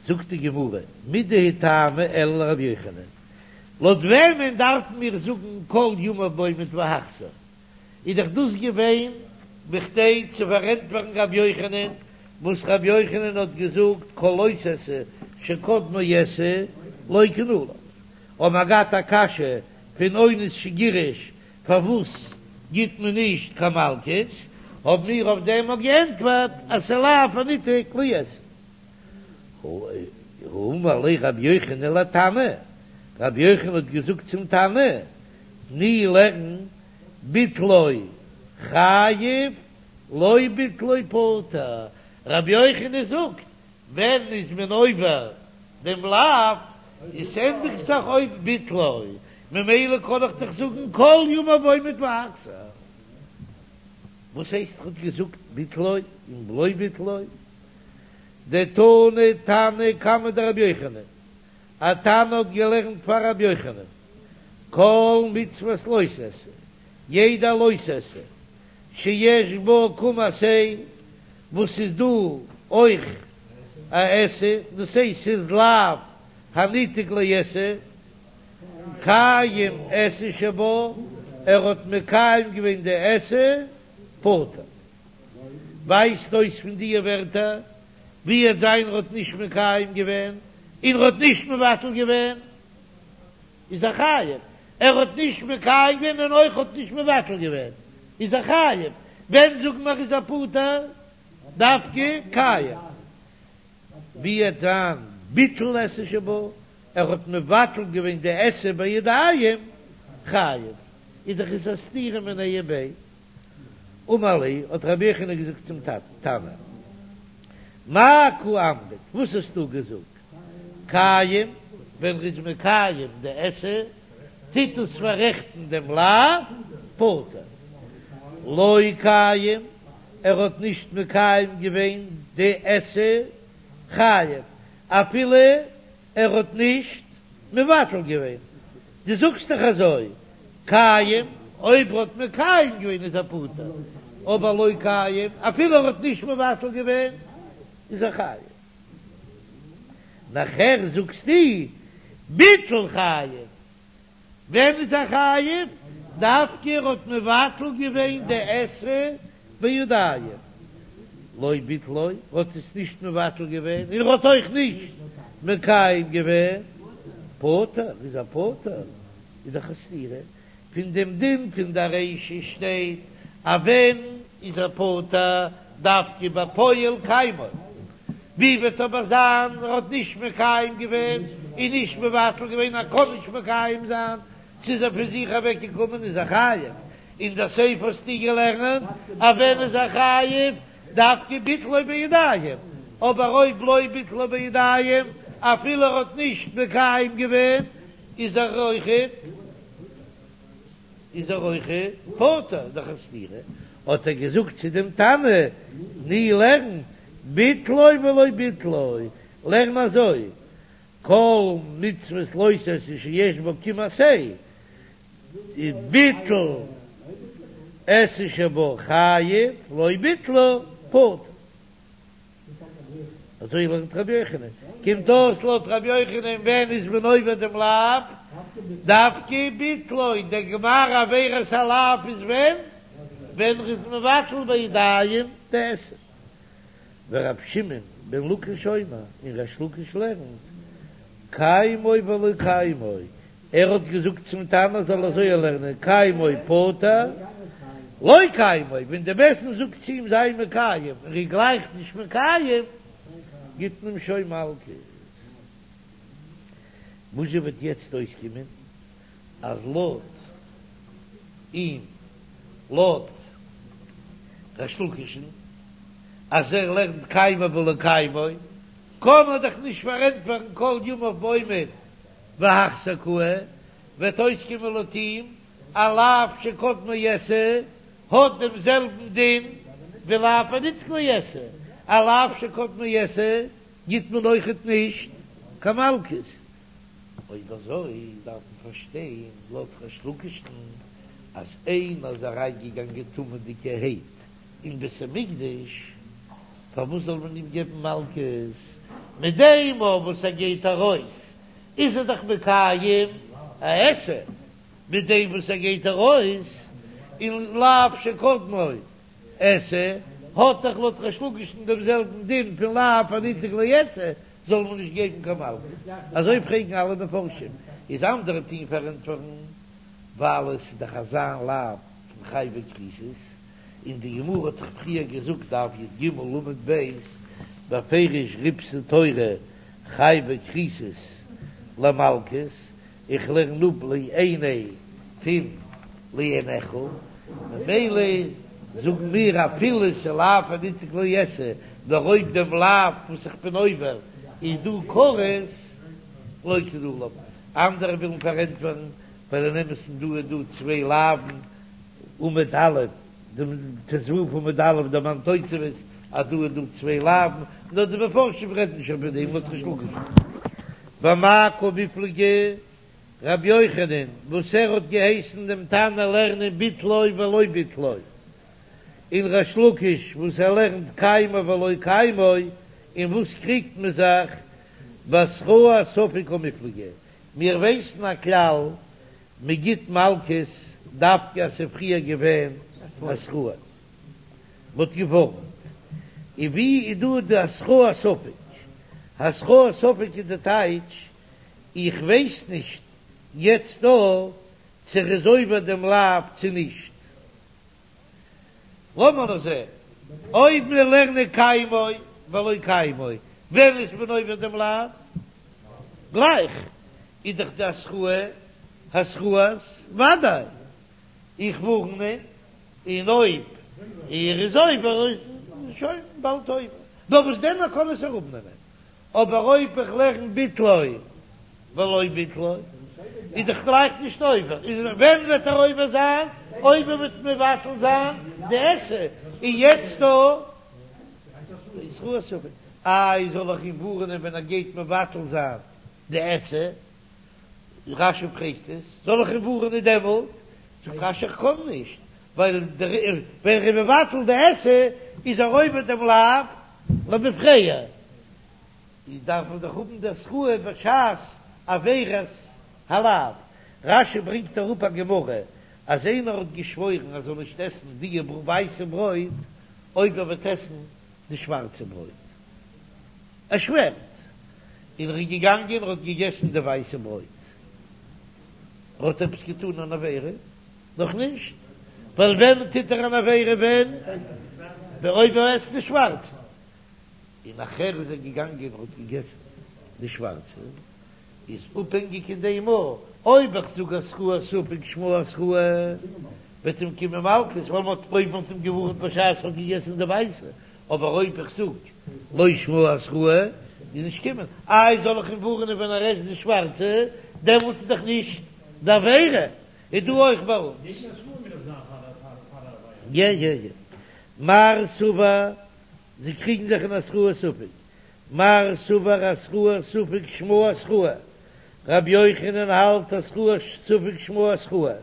Speaker 1: זאגט די גמרא, מידי הוא טעמא אלא לרבי יוחנן, לויט וועמען דארפן מיר זאגן כל ימיו בעומד והחזיר? איז דאך דאס געווען בכדי צו פארענטפערן רבי יוחנן, וואס רבי יוחנן האט געזאגט כל לא תעשה שקדמו עשה לוקין עליו, האבן מיר געהאט א קשיא פון אונס שגירש פארוואס גיט מען נישט קיין מלקות, האבן מיר אויף דעם אויך געענטפערט אז ס'לאו הניתק לעשה. הא אמר ליה רבי יוחנן לתנא, רבי יוחנן האט געזאגט צום תנא, תני לערן ביטלו חייב לא ביטלו פטור, רבי יוחנן זאגט ווען איז מען עובר דעם לאו, עס ענדיגט זיך אויף ביטלו, ממילא קען איך דאך זאגן כל ימיו בעומד והחזיר. וואס הייסט ער האט געזאגט ביטלו און לא ביטלו? דתני תנא קמיה דרבי יוחנן, א תנא האט געלערנט פאר רבי יוחנן, כל מצוות לא תעשה, יעדע לא תעשה שיש בה קום עשה, וואס איז דא אויך א עשה, דאס הייסט ס'איז לאו הניתק לעשה, קיים עשה שבה, ער האט מקיים געווען די עשה, פטור. ווייזט אויס פון דיע ווערטער ווי וועט זיין ער האט נישט מקיים געווען און ער האט נישט מבטל געווען איז ער חייב, ער האט נישט מקיים געווען און אויך האט נישט מבטל געווען איז ער חייב, ווען זאגן מיר איז ער פטור דווקא קיים ווי וועט זיין ביטל עשה שבה, ער האט מבטל געווען די עשה בידיים חייב, איז דאך עס א סתירה מיניה וביה. אמר ליה, האט רבי יוחנן געזאגט צום תנא, מאי קא אמרת, וואס האסטו געזאגט, קיים, ווען ר'איז מקיים די עשה, טוט עס פאררעכטן דעם לאו, פטור. לא קיים, ער האט נישט מקיים געווען די עשה, חייב, אפילו ער האט נישט מבטל געווען, דו זאגסט דאך אזוי, קיים, אויב ער האט מקיים געווען איז ער פטור, אבער לא קיים, אפילו ער האט נישט מבטל געווען, איז ער חייב. נאכער זאגסטו ביטל חייב, ווען איז ער חייב? דווקא ער האט מבטל געווען די עשה בידיים, לא ביטלו, ער האט עס נישט מבטל געווען, און ער האט אויך נישט מקיים געווען, פטור, איז ער פטור, איז דאך א סתירה פון דעם דין פון די רישא שטייט אז ווען איז ער פטור דווקא בפועל קיימו, ווי וועט אבער זיין ער האט נישט מקיים געווען און נישט מבטל געווען ער קען נישט מקיים זיין, ס'איז ער פון זיך אוועק געקומען איז ער חייב, אין דער סיפא האסטו געלערנט אז ווען איז ער חייב דווקא ביטלו בידיים, אבער אויב לא ביטלו בידיים אפילו ער האט נישט מקיים געווען איז ער אויכעט איז ער אויכעט פטור, דאך א סתירה, האט ער געזאגט צו דעם תנא, תני לערן, ביטלו ולא ביטלו, לערן אזוי, כל מצוות לא תעשה שיש בה קיום עשה, ביטל עשה שבה חייב, לא ביטלה פטור. אזוי לערנט רבי יוחנן, קומט אויס לויט רבי יוחנן ווען איז מען עובר דעם לאו? דווקא ביטלו, דער גמר עבירת הלאו איז ווען? ווען ער איז מבטל בידיים די עשה. ורבי שמעון בן לקיש אומר, און ריש לקיש לערנט, קיימו ולא קיימו, ער האט געזאגט צום תנא זאל אזוי לערנען, קיימו פטור, לא קיימו, ווען די בית דין זאגט צו אים זיי מקיים און ער גלייכט נישט מקיים, גיט מען אים שוין מלקות. וואס זשע וועט יעצט אויסקומען אז לויט אים, לויט ריש לקיש'ן, אז ער לערנט קיימו ולא קיימו, קען מען דאך נישט פארענטפערן כל ימיו בעומד והחזיר קאי, וועט אויסקומען לויט אים א לאו שקדמו עשה האט דעם זעלבן דין ווי לאו הניתק לעשה, א לאו שקדמו עשה גיט מען אויכעט נישט קיין מלקות. אויב אזוי דארף מען פארשטיין לויט ריש לקיש'ן אז איינער איז אריינגעגאנגען טמא'דיגערהייט אין בית המקדש, פארוואס זאל מען אים געבן מלקות? מיט דעם וואס ער גייט ארויס איז ער דאך מקיים א עשה, מיט דעם וואס ער גייט ארויס און לאו שקדמו עשה, האט דאך לויט ריש לקיש'ן דעם זעלבן דין פון לאו הניתק לעשה, זאל מען נישט געבן קיין מלקות. אזוי פרעגן אלע מפרשים, איז אנדערע טוען פארענטפערן, ווייל עס איז דאך אזא לאו פון חייבי כריתות, און די גמרא האט דאך פריער געזאגט דף י"ג עמוד ב' בפירוש ריבתה תורה חייבי כריתות למלקות, איך לערן אפ לעיני פון לעיניך, ממילא זאגן מיר אפילו ס'איז לאו הניתק לעשה, נאר אויב דעם לאו וואס איך בין עובר איז דא כרת, לוקין עליו, אנדערע ווילן פארענטפערן ווייל אין אמת'ן דא איז דא צוויי לאוו'ן עמוד א', דעם ט"ו עמוד א' דערמאנט תוספות אז דא איז דא צוויי לאוו'ן, נאר די מפרשים רעדן נישט איבער דעם לויט ריש לקיש. במאי קמיפלגי רבי יוחנן וואס ער האט געהייסן דעם תנא לערנען ביטלו ולא ביטלו, און ריש לקיש וואס ער לערנט קיימו ולא קיימו, אין וואס קריגט מען זיך? בהתראת ספק קמיפלגי, מיר ווייסן א כלל מען גיט מלקות דווקא אז ס'איז פריער געווען התראה, מ'האט געווארנט, און ווי איז דא די התראת ספק? התראת ספק איז די טייטש, איך ווייס נישט יעצט דא צו ער איז עובר דעם לאו צו נישט. לאמיר נאר זען אויב מיר לערנען קיימו ולא קיימו, ווען איז מען עובר דעם לאו? גלייך איז דאך די התראה התראת ודאי, איך ווארן אים, און אויב ער איז עובר איז שוין באלד עובר, נאר וואס דען מען קען עס אראפנעמען. אבער אויב איך לערן ביטלו ולא ביטלו, איז דאך גלייך נישט עובר, איז ווען וועט ער עובר זיין? אויב ער וועט מבטל זיין די עשה, און יעצט דא איז התראת ספק, איי זאל איך אים ווארענען ווען ער גייט מבטל זיין די עשה? רש"י פרעגט עס, זאל איך אים ווארענען דעמאלט? זאגט רש"י איך קען נישט, ווייל ווען ער איז מבטל די עשה איז ער עובר דעם לאו למפרע, איז דארף מען דאך האבן די התראה בשעת עבירת הלאו. רש"י ברענגט אראפ א גמרא אז איינער האט געשוואוירן אז ער זאל נישט עסן די ווייסע ברויט אויב ער וועט עסן די שווארצע ברויט, ער שווערט, און ער איז געגאנגען און האט געגעסן די ווייסע ברויט, ער האט עפעס געטאן אן עבירה? נאך נישט, ווייל ווען טוט ער אן עבירה ווען אויב ער עסט די שווארצע, און נאכער איז ער געגאנגען און האט געגעסן די שווארצע, איז אפהענגיק אין דעם מאל, אויב איך זאג התראת ספק שמה התראה, וועט אים קומען מלקות, ווייל מ'האט אויב מ'האט אים געווארנט בשעת ער האט געגעסן די ווייסע, אבער אויב איך זאג לא שמה התראה, איז נישט קומען, איי זאל איך אים ווארענען ווען ער עסט די שווארצע, דעמאלטס איז דאך נישט די עבירה. איז דא אויך ביי אונז. יא יא יא. מר סבר, זיי קריגן זיך אין התראת ספק. מר סבר התראת ספק שמה התראה, רבי יוחנן האלט התראת ספק שמה התראה,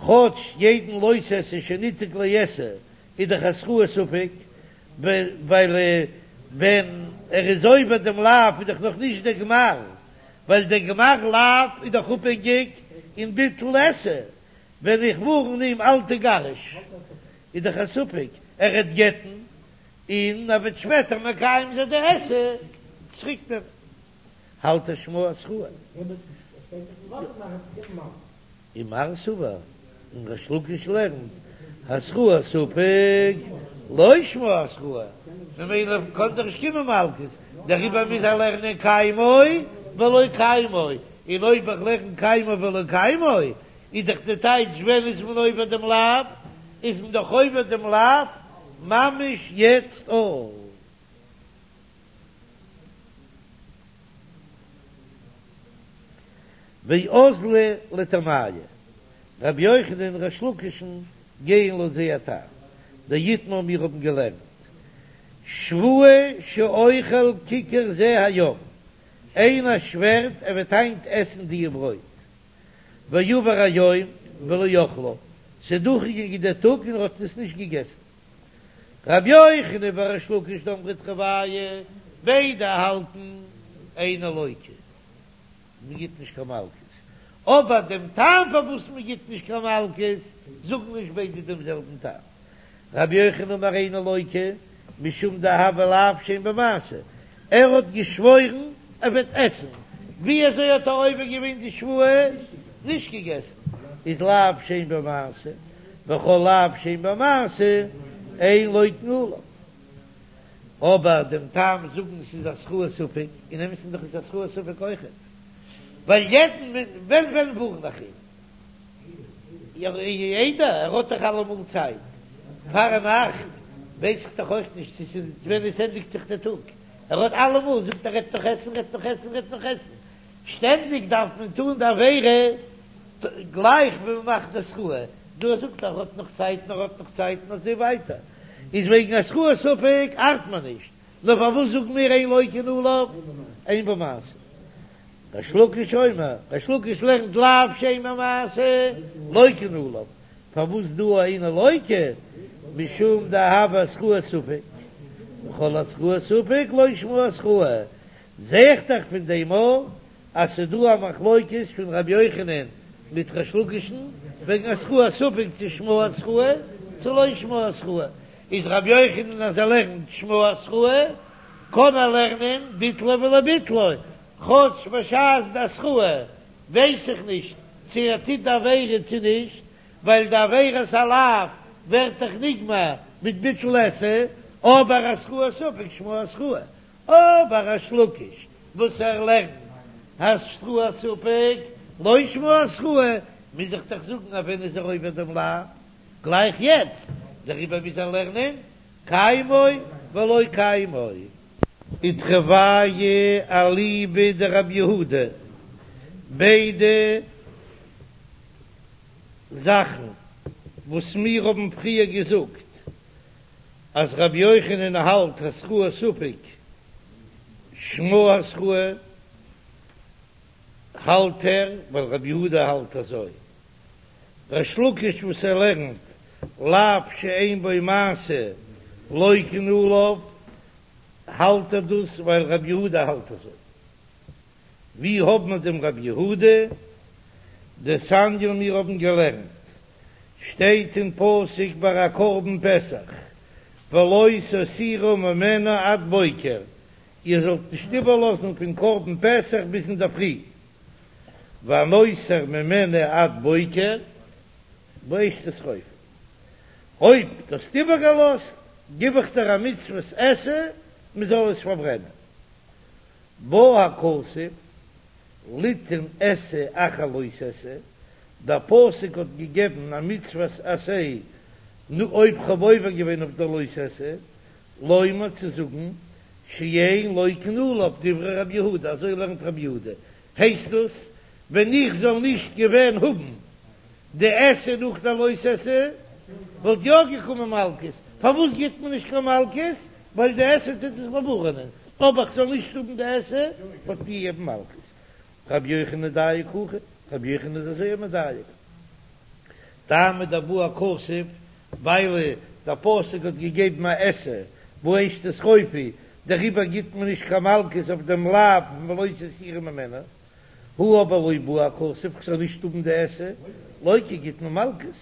Speaker 1: כאטש יעדן לא תעשה שניתק לעשה איז דאך התראת ספק, ווייל ווען ער איז עובר דעם לאו איז דאך נאך נישט דער גמר, ווייל דער גמר לאו איז דאך אפהענגיק אין ביטול עשה, ווען איך ווארן אים אל תגרש איז דאך א ספק ער וועט גט'ן און ער וועט שפעטער מקיים זיין די עשה צוריק נעמען האלט ער שמה התראה. ומר סבר און ריש לקיש לערנט התראת ספק לא שמה התראה ממילא קען דאך נישט קומען מלקות דעריבער מוז ער לערנען קיימו ולא קיימו און אויב איך לערן קיימו ולא קיימו איז דאך די טייטש ווען איז מען עובר דעם לאו? איז מען דאך עובר דעם לאו ממש יעצט אויך. ואזלי לטעמייהו, רבי יוחנן און ריש לקיש'ן גייען לויט זייער טעם, דאיתמר מיר האבן געלערנט שבועה שאוכל כיכר זה היום, איינער שווערט ער וועט היינט עסן דיע ברויט, ועבר היום ולא אכלה, ס'איז דורכגעגאנגען דער טאג און ער האט עס נישט געגעסן. רבי יוחנן וריש לקיש דאמרי תרוייהו, ביידע האלטן אינו לוקה, מען גיט נישט קיין מלקות, אבער דעם טעם פארוואס מען גיט נישט קיין מלקות זאגן נישט ביידע דעם זעלבן טעם. רבי יוחנן אמר אינו לוקה משום דהוה לאו שאין בו מעשה, ער האט געשוואוירן ער וועט עסן, ווי אזוי האט ער עובר געווען די שבועה? נישט געגעסן, איז לאו שאין בו מעשה, וכל לאו שאין בו מעשה אין לוקין עליו. אבער דעם טעם זאגן ס'איז התראת ספק, אין אמת'ן דאך איז התראת ספק אויכעט, ווייל יעדן ווען ווען ווארן איך אים. איידער ער האט דאך אלעמאל צייט פארנאכט, ווייס איך דאך אויך נישט צו ס'איז ווען עס ענדיגט זיך דער טאג, ער האט אלעמאל, זאגט ער רעדט נאך עסן, רעדט נאך עסן, רעדט נאך עסן, שטענדיג דארף מען טון די עבירה גלייך ווען מען מאכט די התראה, דא זאגט ער האט נאך צייט און ער האט נאך צייט און אזוי ווייטער, איז וועגן התראת ספק ארט מען נישט, נאר פארוואס זאגן מיר אין לוקין עליו אין בו מעשה? ריש לקיש אומר, ריש לקיש לערנט לאו שאין בו מעשה לוקין עליו, פארוואס דא אינו לוקה? משום דהוה התראת ספק, וכל התראת ספק לא שמה התראה, זע איך דאך פון דעם אויך אז ס'דא א מחלוקת פון ר' יוחנן מיט ריש לקיש'ן וועגן התראת ספק צו שמה התראה צו לא שמה התראה, איז ר' יוחנן אז ער לערנט שמה התראה קען ער לערנען ביטלו ולא ביטלו, כאטש בשעת די התראה ווייס איך נישט צו ער טוט די עבירה צו נישט, ווייל די עבירת הלאו ווערט דאך נגמר מיט ביטול עשה, אבער התראת ספק שמה התראה, אבער ריש לקיש וואס ער לערנט התראת ספק לא שמה התראה, מוז איך דאך זאגן אז ווען איז ער עובר דעם לאו? גלייך יעצט, דעריבער מוז ער לערנען קיימו ולא קיימו. ותרוייהו אליבא דרבי יהודה, ביידע זאכן וואס מיר האבן פריער געזאגט אז רבי יוחנן האלט התראת ספק שמה התראה האלט ער ווייל רבי יהודה האלט אזוי, ריש לקיש וואס ער לערנט לאו שאין בו מעשה לוקין עליו האלט ער דאס ווייל רבי יהודה האלט אזוי. ווי האב מיר דעם רבי יהודה? דתניא מיר האבן געלערנט שטייט אין פסוק ביי א קרבן פסח ולא תותירו ממנו עד בוקר איר זאלט נישט איבערלאזן פון קרבן פסח ביז אינדערפרי והנותר ממנו עד בוקר באש תשרופו, אויב דו האסט איבערגעלאזט גיב איך דיר א מצוות עשה מען זאל עס פארברענען. בא הכתוב ליתן עשה אחר לא תעשה, דער פסוק האט געגעבן א מצוות עשה נו אויב כ'האב עובר געווען אויף דער לא תעשה, לומר צו זאגן שאין לוקין עליו דברי רבי יהודה, אזוי לערנט רבי יהודה, הייסט דאס ווען איך זאל נישט געווען האבן די עשה נאך די לא תעשה וואלט יא געקומען מלקות, פארוואס גיט מען נישט קיין מלקות? ווייל די עשה טוט עס באווארענען, אבער כ'זאל נישט האבן די עשה, וואלט מען געגעבן מלקות. רבי יוחנן דייק הכי, רבי יוחנן איז אזוי מדייק. טעמא דבעי הכתוב, ווייל דער פסוק האט געגעבן א עשה באש תשרופו, דעריבער גיט מען נישט קיין מלקות אויף דעם לאו פון ולא תותירו ממנה. הא אבער לא בעי הכתוב, כ'זאל נישט האבן די עשה, לוקי גיט מען מלקות,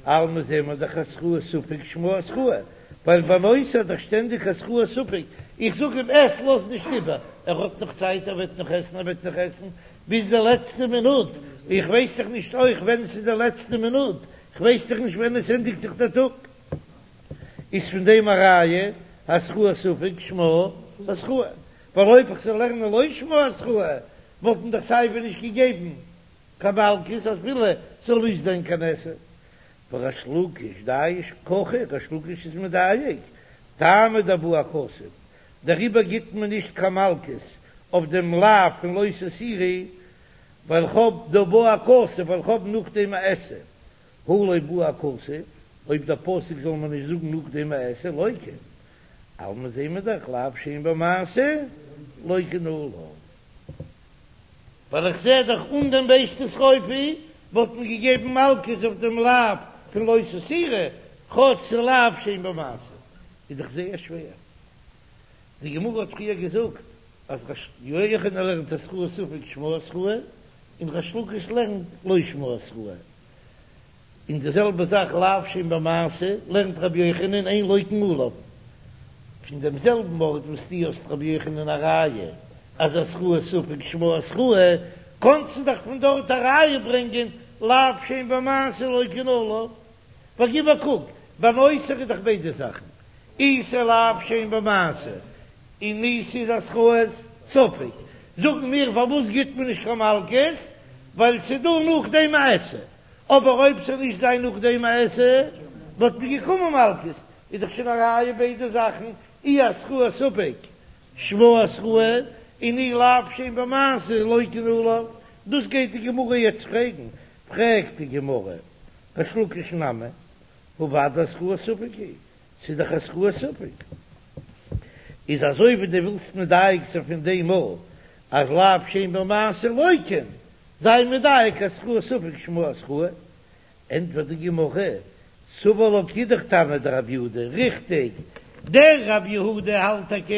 Speaker 1: אלמא זעט מען דאך התראת ספק שמה התראה, ווייל ביי נותר איז דאך שטענדיג התראת ספק, איך זאג אים עס, לאז נישט איבער, ער האט נאך צייט ער וועט נאך עסן ער וועט נאך עסן ביז די לעצטע מינוט, איך ווייס דאך נישט אויך ווען ס'איז די לעצטע מינוט, כ'ווייס דאך נישט ווען עס ענדיגט זיך דער טאג. איז פון דעם א ראיה התראת ספק שמה התראה, ווייל אויב איך זאל לערנען לא שמה התראה וואלט מען דאך סייווי נישט געגעבן קיין מלקות אפילו ס'זאל נישט זיין קיין עשה. וריש לקיש דייש הכי, ריש לקיש איז מדייק, טעמא דבעי הכתוב, דעריבער גיט מען נישט קיין מלקות אויף דעם לאו פון לא תותירו, ווייל כ'האב דבעי הכתוב, ווייל כ'האב נאכדעם א עשה. הא לא בעי הכתוב, אויב דער פסוק זאל מען נישט זאגן נאכדעם א עשה לוקה, אלמא זעהן מיר דאך לאו שאין בו מעשה לוקין עליו. ווייל איך זעה דאך אן דעם באש תשרופו וואלט מען געגעבן מלקות אויף דעם לאו פון לא תותירו, כאטש ס'איז לאו שאין בו מעשה איז דאך זייער שווער. די גמרא האט פריער געזאגט אז ר' יוחנן לערנט התראת ספק שמה התראה און ריש לקיש לערנט לא שמה התראה. און די זעלבע זאך לאו שאין בו מעשה לערנט רבי יוחנן אין לוקין עליו. פון דעם זעלבן ארט וואס דו האסט רבי יוחנן א ראיה אז התראת ספק שמה התראה, קאנסטו דאך פון דארט א ראיה ברענגען לאו שאין בו מעשה לוקין עליו. ווייל גיב א קוק, ביי נותר איז דאך ביידע זאכן, אי ס'איז לאו שאין בו מעשה, און אי ס'איז התראת ספק. זאגן מיר פארוואס גיט מען נישט קיין מלקות, ווייל ס'איז דא נאכדעם א עשה, אבער אויב ס'זאל נישט זיין נאכדעם א עשה וואלט מען געקומען מלקות, איז דאך שוין א ראיה ביידע זאכן, אי התראת ספק שמה התראה, און אי לאו שאין בו מעשה לוקין עליו, דאס גייט די גמרא יעצט פרעגן, פרעגט די גמרא, ריש לקיש נמי, הא ודאי התראת ספק היא, ס'איז דאך התראת ספק. איז אזוי ווי דו ווילסט מדייק זיין פון דעם מאל אז לאו שאין בו מעשה לוקין, זיי מדייק התראת ספק שמה התראה. ענטפערט די גמרא, סבר לה כאידך תנא דרב יהודה, ריכטיג, דער רב יהודה האלט טאקע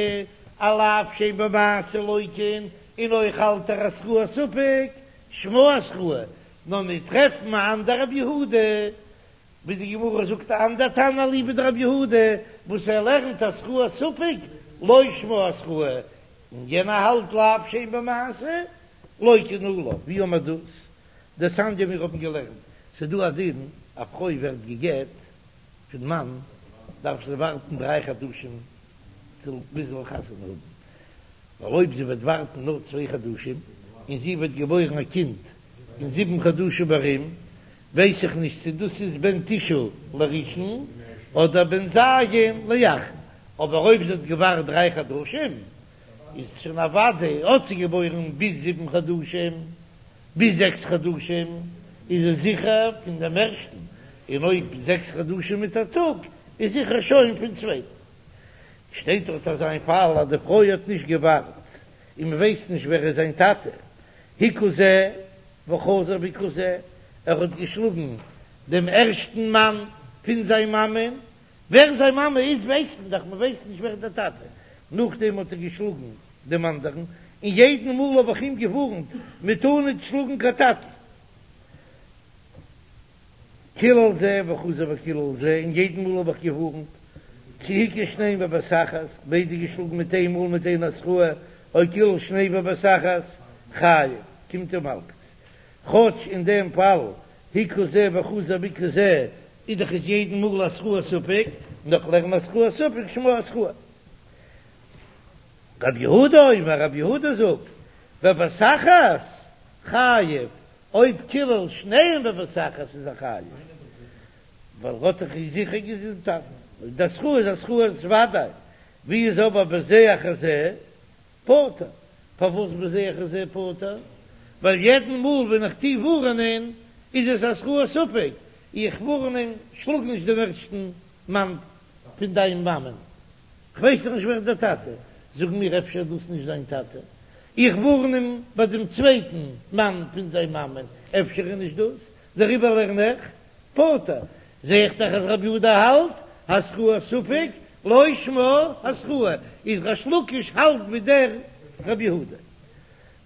Speaker 1: אז לאו שאין בו מעשה לוקין, און אויך האלט ער התראת ספק שמה התראה, נאר מיר טרעפן א אנדער רב יהודה ווי די גמרא זאגט א אנדער תנא אליבא דרב יהודה וואס ער לערנט התראת ספק לא שמה התראה, און יענער האלט לאו שאין בו מעשה לוקין עליו, ווי האמער דאס? דתניא מיר האבן געלערנט, ס'איז דא א דין א פרוי ווערט גע'גט פון מאן דארף זי ווארטן דריי חדשים ביז זי זאל חתונה האבן, ווייל אויב זי וועט ווארטן נאר צוויי חדשים און זי וועט געבוירן א קינד אין זיבן חדשים ארום, ווייס איך נישט צו דאס איז בן תשעה לראשון אדער בן ז' לאחרון, אבער אויב זי האט געווארט דריי חדשים איז שוין אוודאי האט זי געבוירן ביז זיבן חדשים, ביז זעקס חדשים איז עס זיכער פון דעם ערשטן, און אויב זעקס חדשים מיט א טאג איז זיכער שוין פון צווייטן. שטייט דארט אזא איין פאל אז די פרוי האט נישט געווארט און מען ווייסט נישט ווער איז זיין טאטע, הכה זה וחזר והכה זה, ער האט געשלאגן דעם ערשטן מאן פון זיין מאמען, ווער זיין מאמע איז ווייסט מען דאך, מען ווייסט נישט ווער דער טאטע, נאכדעם האט ער געשלאגן דעם אנדערן, און יעדן מאל האב איך אים געווארנט מען טאר נישט שלאגן קיין טאטן. קילל זה וחזר וקילל זה, און יעדן מאל האב איך געווארנט, צי הכה שניהם בבת אחת, ביידע געשלאגן מיט איין מאל מיט איין התראה, או קילל שניהם בבת אחת, חייב, קומט אים מלקות. כאטש אין דעם פאל הכה זה וחזר והכה זה איז דאך איז יעדן מאל התראת ספק, נאר כ'לערן התראת ספק שמה התראה. רב יהודה אומר, רב יהודה זאגט, בבת אחת חייב, אויב קילל שניהם בבת אחת איז ער חייב, ווייל ער האט דאך זיכער געזאגט די התראה איז התראת ודאי, ווי איז אבער בזה אחר זה פטור, פארוואס בזה אחר זה פטור? ווייל יעדן מאל ווען איך טו ווארענען איז עס התראת ספק, איך ווארן אים שלאג נישט דעם ערשטן מאן פון דיין מאמען, כ'ווייס דאך נישט ווער איז דער טאטע, זאגן מיר אפשר איז דאס נישט זיין טאטע, איך ווארן אים ביי דעם צווייטן מאן פון זיין מאמען, אפשר איז נישט דאס, דעריבער לערן איך פטור, זע איך דאך אז רבי יהודה האלט התראת ספק לא שמה התראה, איז ריש לקיש האלט ווי דער רבי יהודה.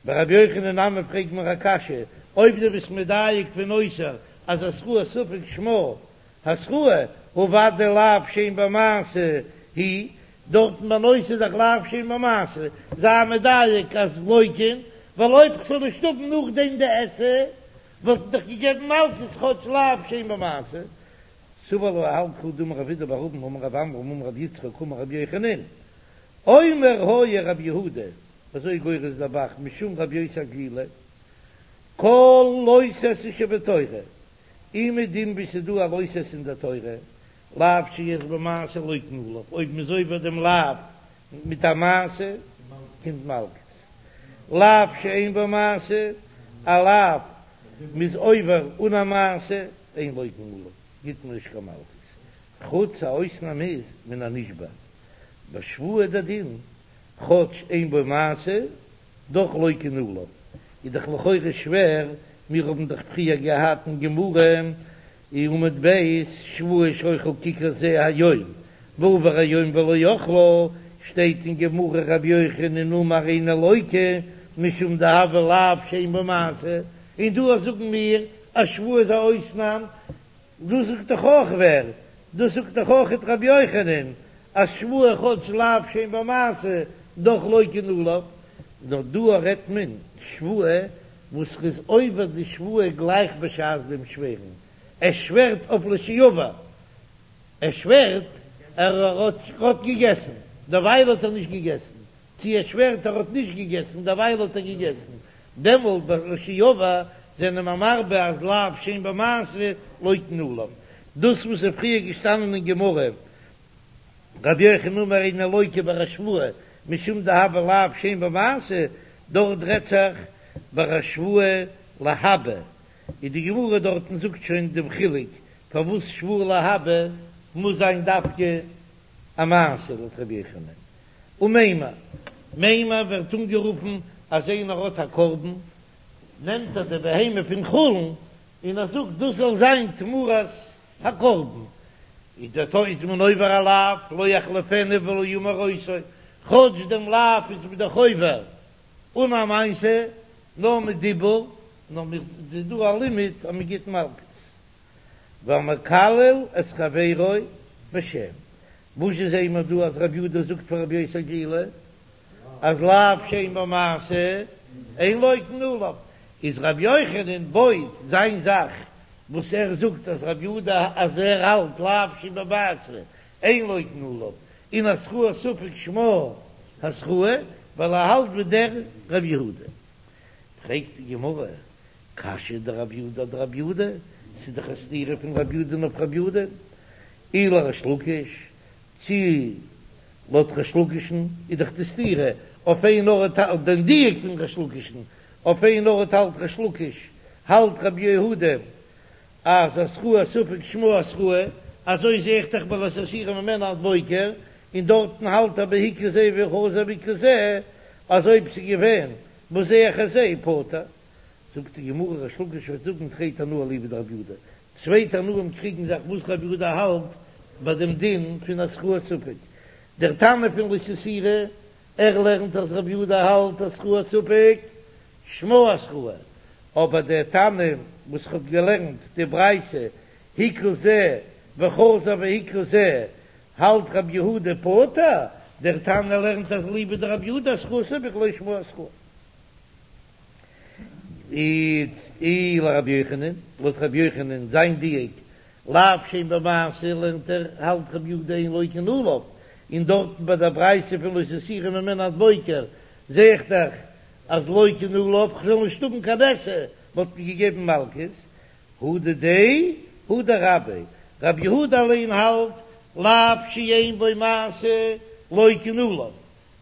Speaker 1: ביי רבי יוחנן נמי פרעג מיר א קשיא, אויב דו ביסט מדייק פון נותר אז התראת ספק שמה התראה, הא ודאי לאו שאין בו מעשה הוא, דארטן ביי נותר איז דאך לאו שאין בו מעשה, זיי מדייק אז לוקין, ווייל אויב כ'זאל נישט האבן נאכדעם די עשה, וואלט מען דאך געגעבן מלקות כאטש לאו שאין בו מעשה. סבר לה האלט כי הא דאמר רב אידי בר אבין אמר רב עמרם אמר רבי יצחק אמר רבי יוחנן אומר היה רבי יהודה אזוי גורס דער ב"ח משום רבי יוסי הגלילי כל לא תעשה שבתורה אומעדום וואו ס'איז דא א לא תעשה אין דער תורה לאו שיש בו מעשה לוקין עליו אויב מ'איז עובר דעם לאו מיט א מעשה קומט מלקות לאו שאין בו מעשה א לאו מ'איז עובר אן א מעשה אין לוקין עליו גיט מען נישט קיין מלקות חוץ א אויסנאם איז מן הנשבע ביי שבועה דער דין כאטש אין בו מעשה דאך לוקין עליו איז דאך לכאורה שווער מיר האבן דאך פריער געהאט אין גמרא אין עמוד ב' שבועה שאוכל ככר זה היום ועבר היום ולא אכלה, שטייט אין גמרא רבי יוחנן אמר אינו לוקה משום דהוה לאו שאין בו מעשה, און דא זאגן מיר אז שבועה איז א אויסנאם, דאס זאגט דאך אויך ווער? דאס זאגט דאך אויך רבי יוחנן אז שבועה כאטש לאו שאין בו מעשה דאך לוקין עליו, נאר דא רעדט מען שבועה וואס ר'איז עובר די שבועה גלייך בשעת דעם שווערן, ער שווערט אויף לשעבר, ער שווערט ער האט געגעסן, דערווייל האט ער נישט געגעסן, צי ער שווערט ער האט נישט געגעסן, דערווייל האט ער געגעסן, דעמאלט ביי לשעבר זענען מיר מרבה אז לאו שאין בו מעשה לוקין עליו, דאס וואס איז פריער געשטאנען אין גמרא רבי יוחנן אמר אינו לוקה ביי א שבועה משום דהוה לאו שאין בו מעשה, דארט רעדט זיך ביי א שבועה להבא, און די גמרא דארטן זאגט שוין דעם חילוק פארוואס שבועה להבא מוז זיין דווקא א מעשה לויט רבי יוחנן. ומימר, מימר ווערט אנגערופן אז איינער האט א קרבן, נעמט ער די בהמה פון חולין און ער זאגט דאס זאל זיין תמורת הקרבן, איז דער טעות איז מען עובר א לאו, לא יחליפנו ולא ימיר אותו, כאטש דעם לאו איז מען דאך עובר אן א מעשה, נאר מיט דיבור, נאר מיר איז דא א לימוד אז מען גיט מלקות. והמקלל את חברו בשם, וואס זשע זעען מיר דא אז רבי יהודה זאגט פאר רבי יוסי הגלילי אז לאו שאין בו מעשה אין לוקין עליו, איז רבי יוחנן בויט זיין זאך וואס ער זאגט אז רבי יהודה אז ער האלט לאו שאין בו מעשה אין לוקין עליו און התראת ספק שמה התראה ווייל ער האלט ווי דער רבי יהודה. פרעגט די גמרא קשיא דרבי יהודה אדרבי יהודה, ס'איז דאך א סתירה פון רבי יהודה אויף רבי יהודה, אי לריש לקיש, צי לויט ריש לקיש'ן איז דאך די סתירה אויף איין ארט האלט דעם דיוק פון ריש לקיש'ן, אויף איין ארט האלט ריש לקיש, האלט רבי יהודה אז התראת ספק שמה התראה, אזוי זעה איך דאך ביי לא תסורו ממנו עד בוקר, און דארטן האלט ער ביי הכה זה וחזר והכה זה, אז אויב ס'איז געווען בזה אחר זה פטור. זאגט די גמרא ריש לקיש וועט זאגן תרי תנאי אליבא דרבי יהודה, צוויי תנאים קריגן זיך וואס רבי יהודה האלט ביי דעם דין פון התראת ספק, דער תנא פון לא תסורו, ער לערנט אז רבי יהודה האלט התראת ספק שמה התראה, אבער דער תנא וואס האט געלערנט די ברייתא הכה זה וחזר והכה זה האלט רבי יהודה פטור, דער תנא לערנט אז אליבא דרבי יהודה התראת ספק לא שמה התראה. אי לרבי יוחנן, לויט רבי יוחנן זיין דיוק, לאו שאין בו מעשה לערנט ער, האלט רבי יהודה אין לוקין עליו, און דארטן ביי דער ברייתא פון לא תסורו ממנו עד בוקר זע איך דאך אז לוקין עליו, כ'זאל נישט האבן קיין עשה, וואלט מען געגעבן מלקות, הא דידיה הא דרביה, רבי יהודה אליין האלט לאו שאין בו מעשה לוקין עליו,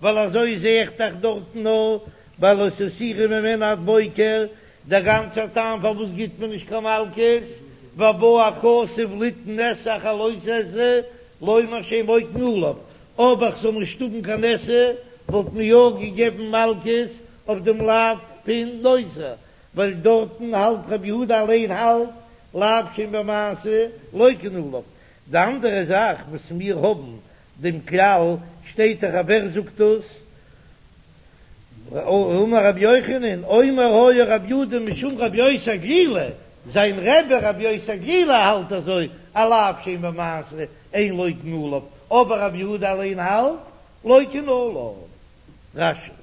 Speaker 1: ווייל אזוי זע איך דאך דארטן נאר ביי לא תסורו ממנו עד בוקר, דער גאנצער טעם פארוואס גיט מען נישט קיין מלקות, ובא הכתוב ליתן עשה אחר לא תעשה, לומר שאין לוקין עליו, אבער כ'זאל נישט האבן קיין עשה, וואלט מען יא געגעבן מלקות אויף דעם לאו פון נוזר, ווייל דארטן האלט רבי יהודה אליין האלט לאו שאין בו מעשה לוקין עליו. די אנדערע זאך וואס מיר האבן דעם כלל שטייט דאך אז ווער זאגט דאס? אמר רבי יוחנן, אומר היה רבי יהודה משום רבי יוסי הגלילי, זיין רבי רבי יוסי הגלילי האלט אזוי, א לאו שאין בו מעשה אין לוקין עליו, אבער רבי יהודה אליין האלט לוקין עליו. רש"י.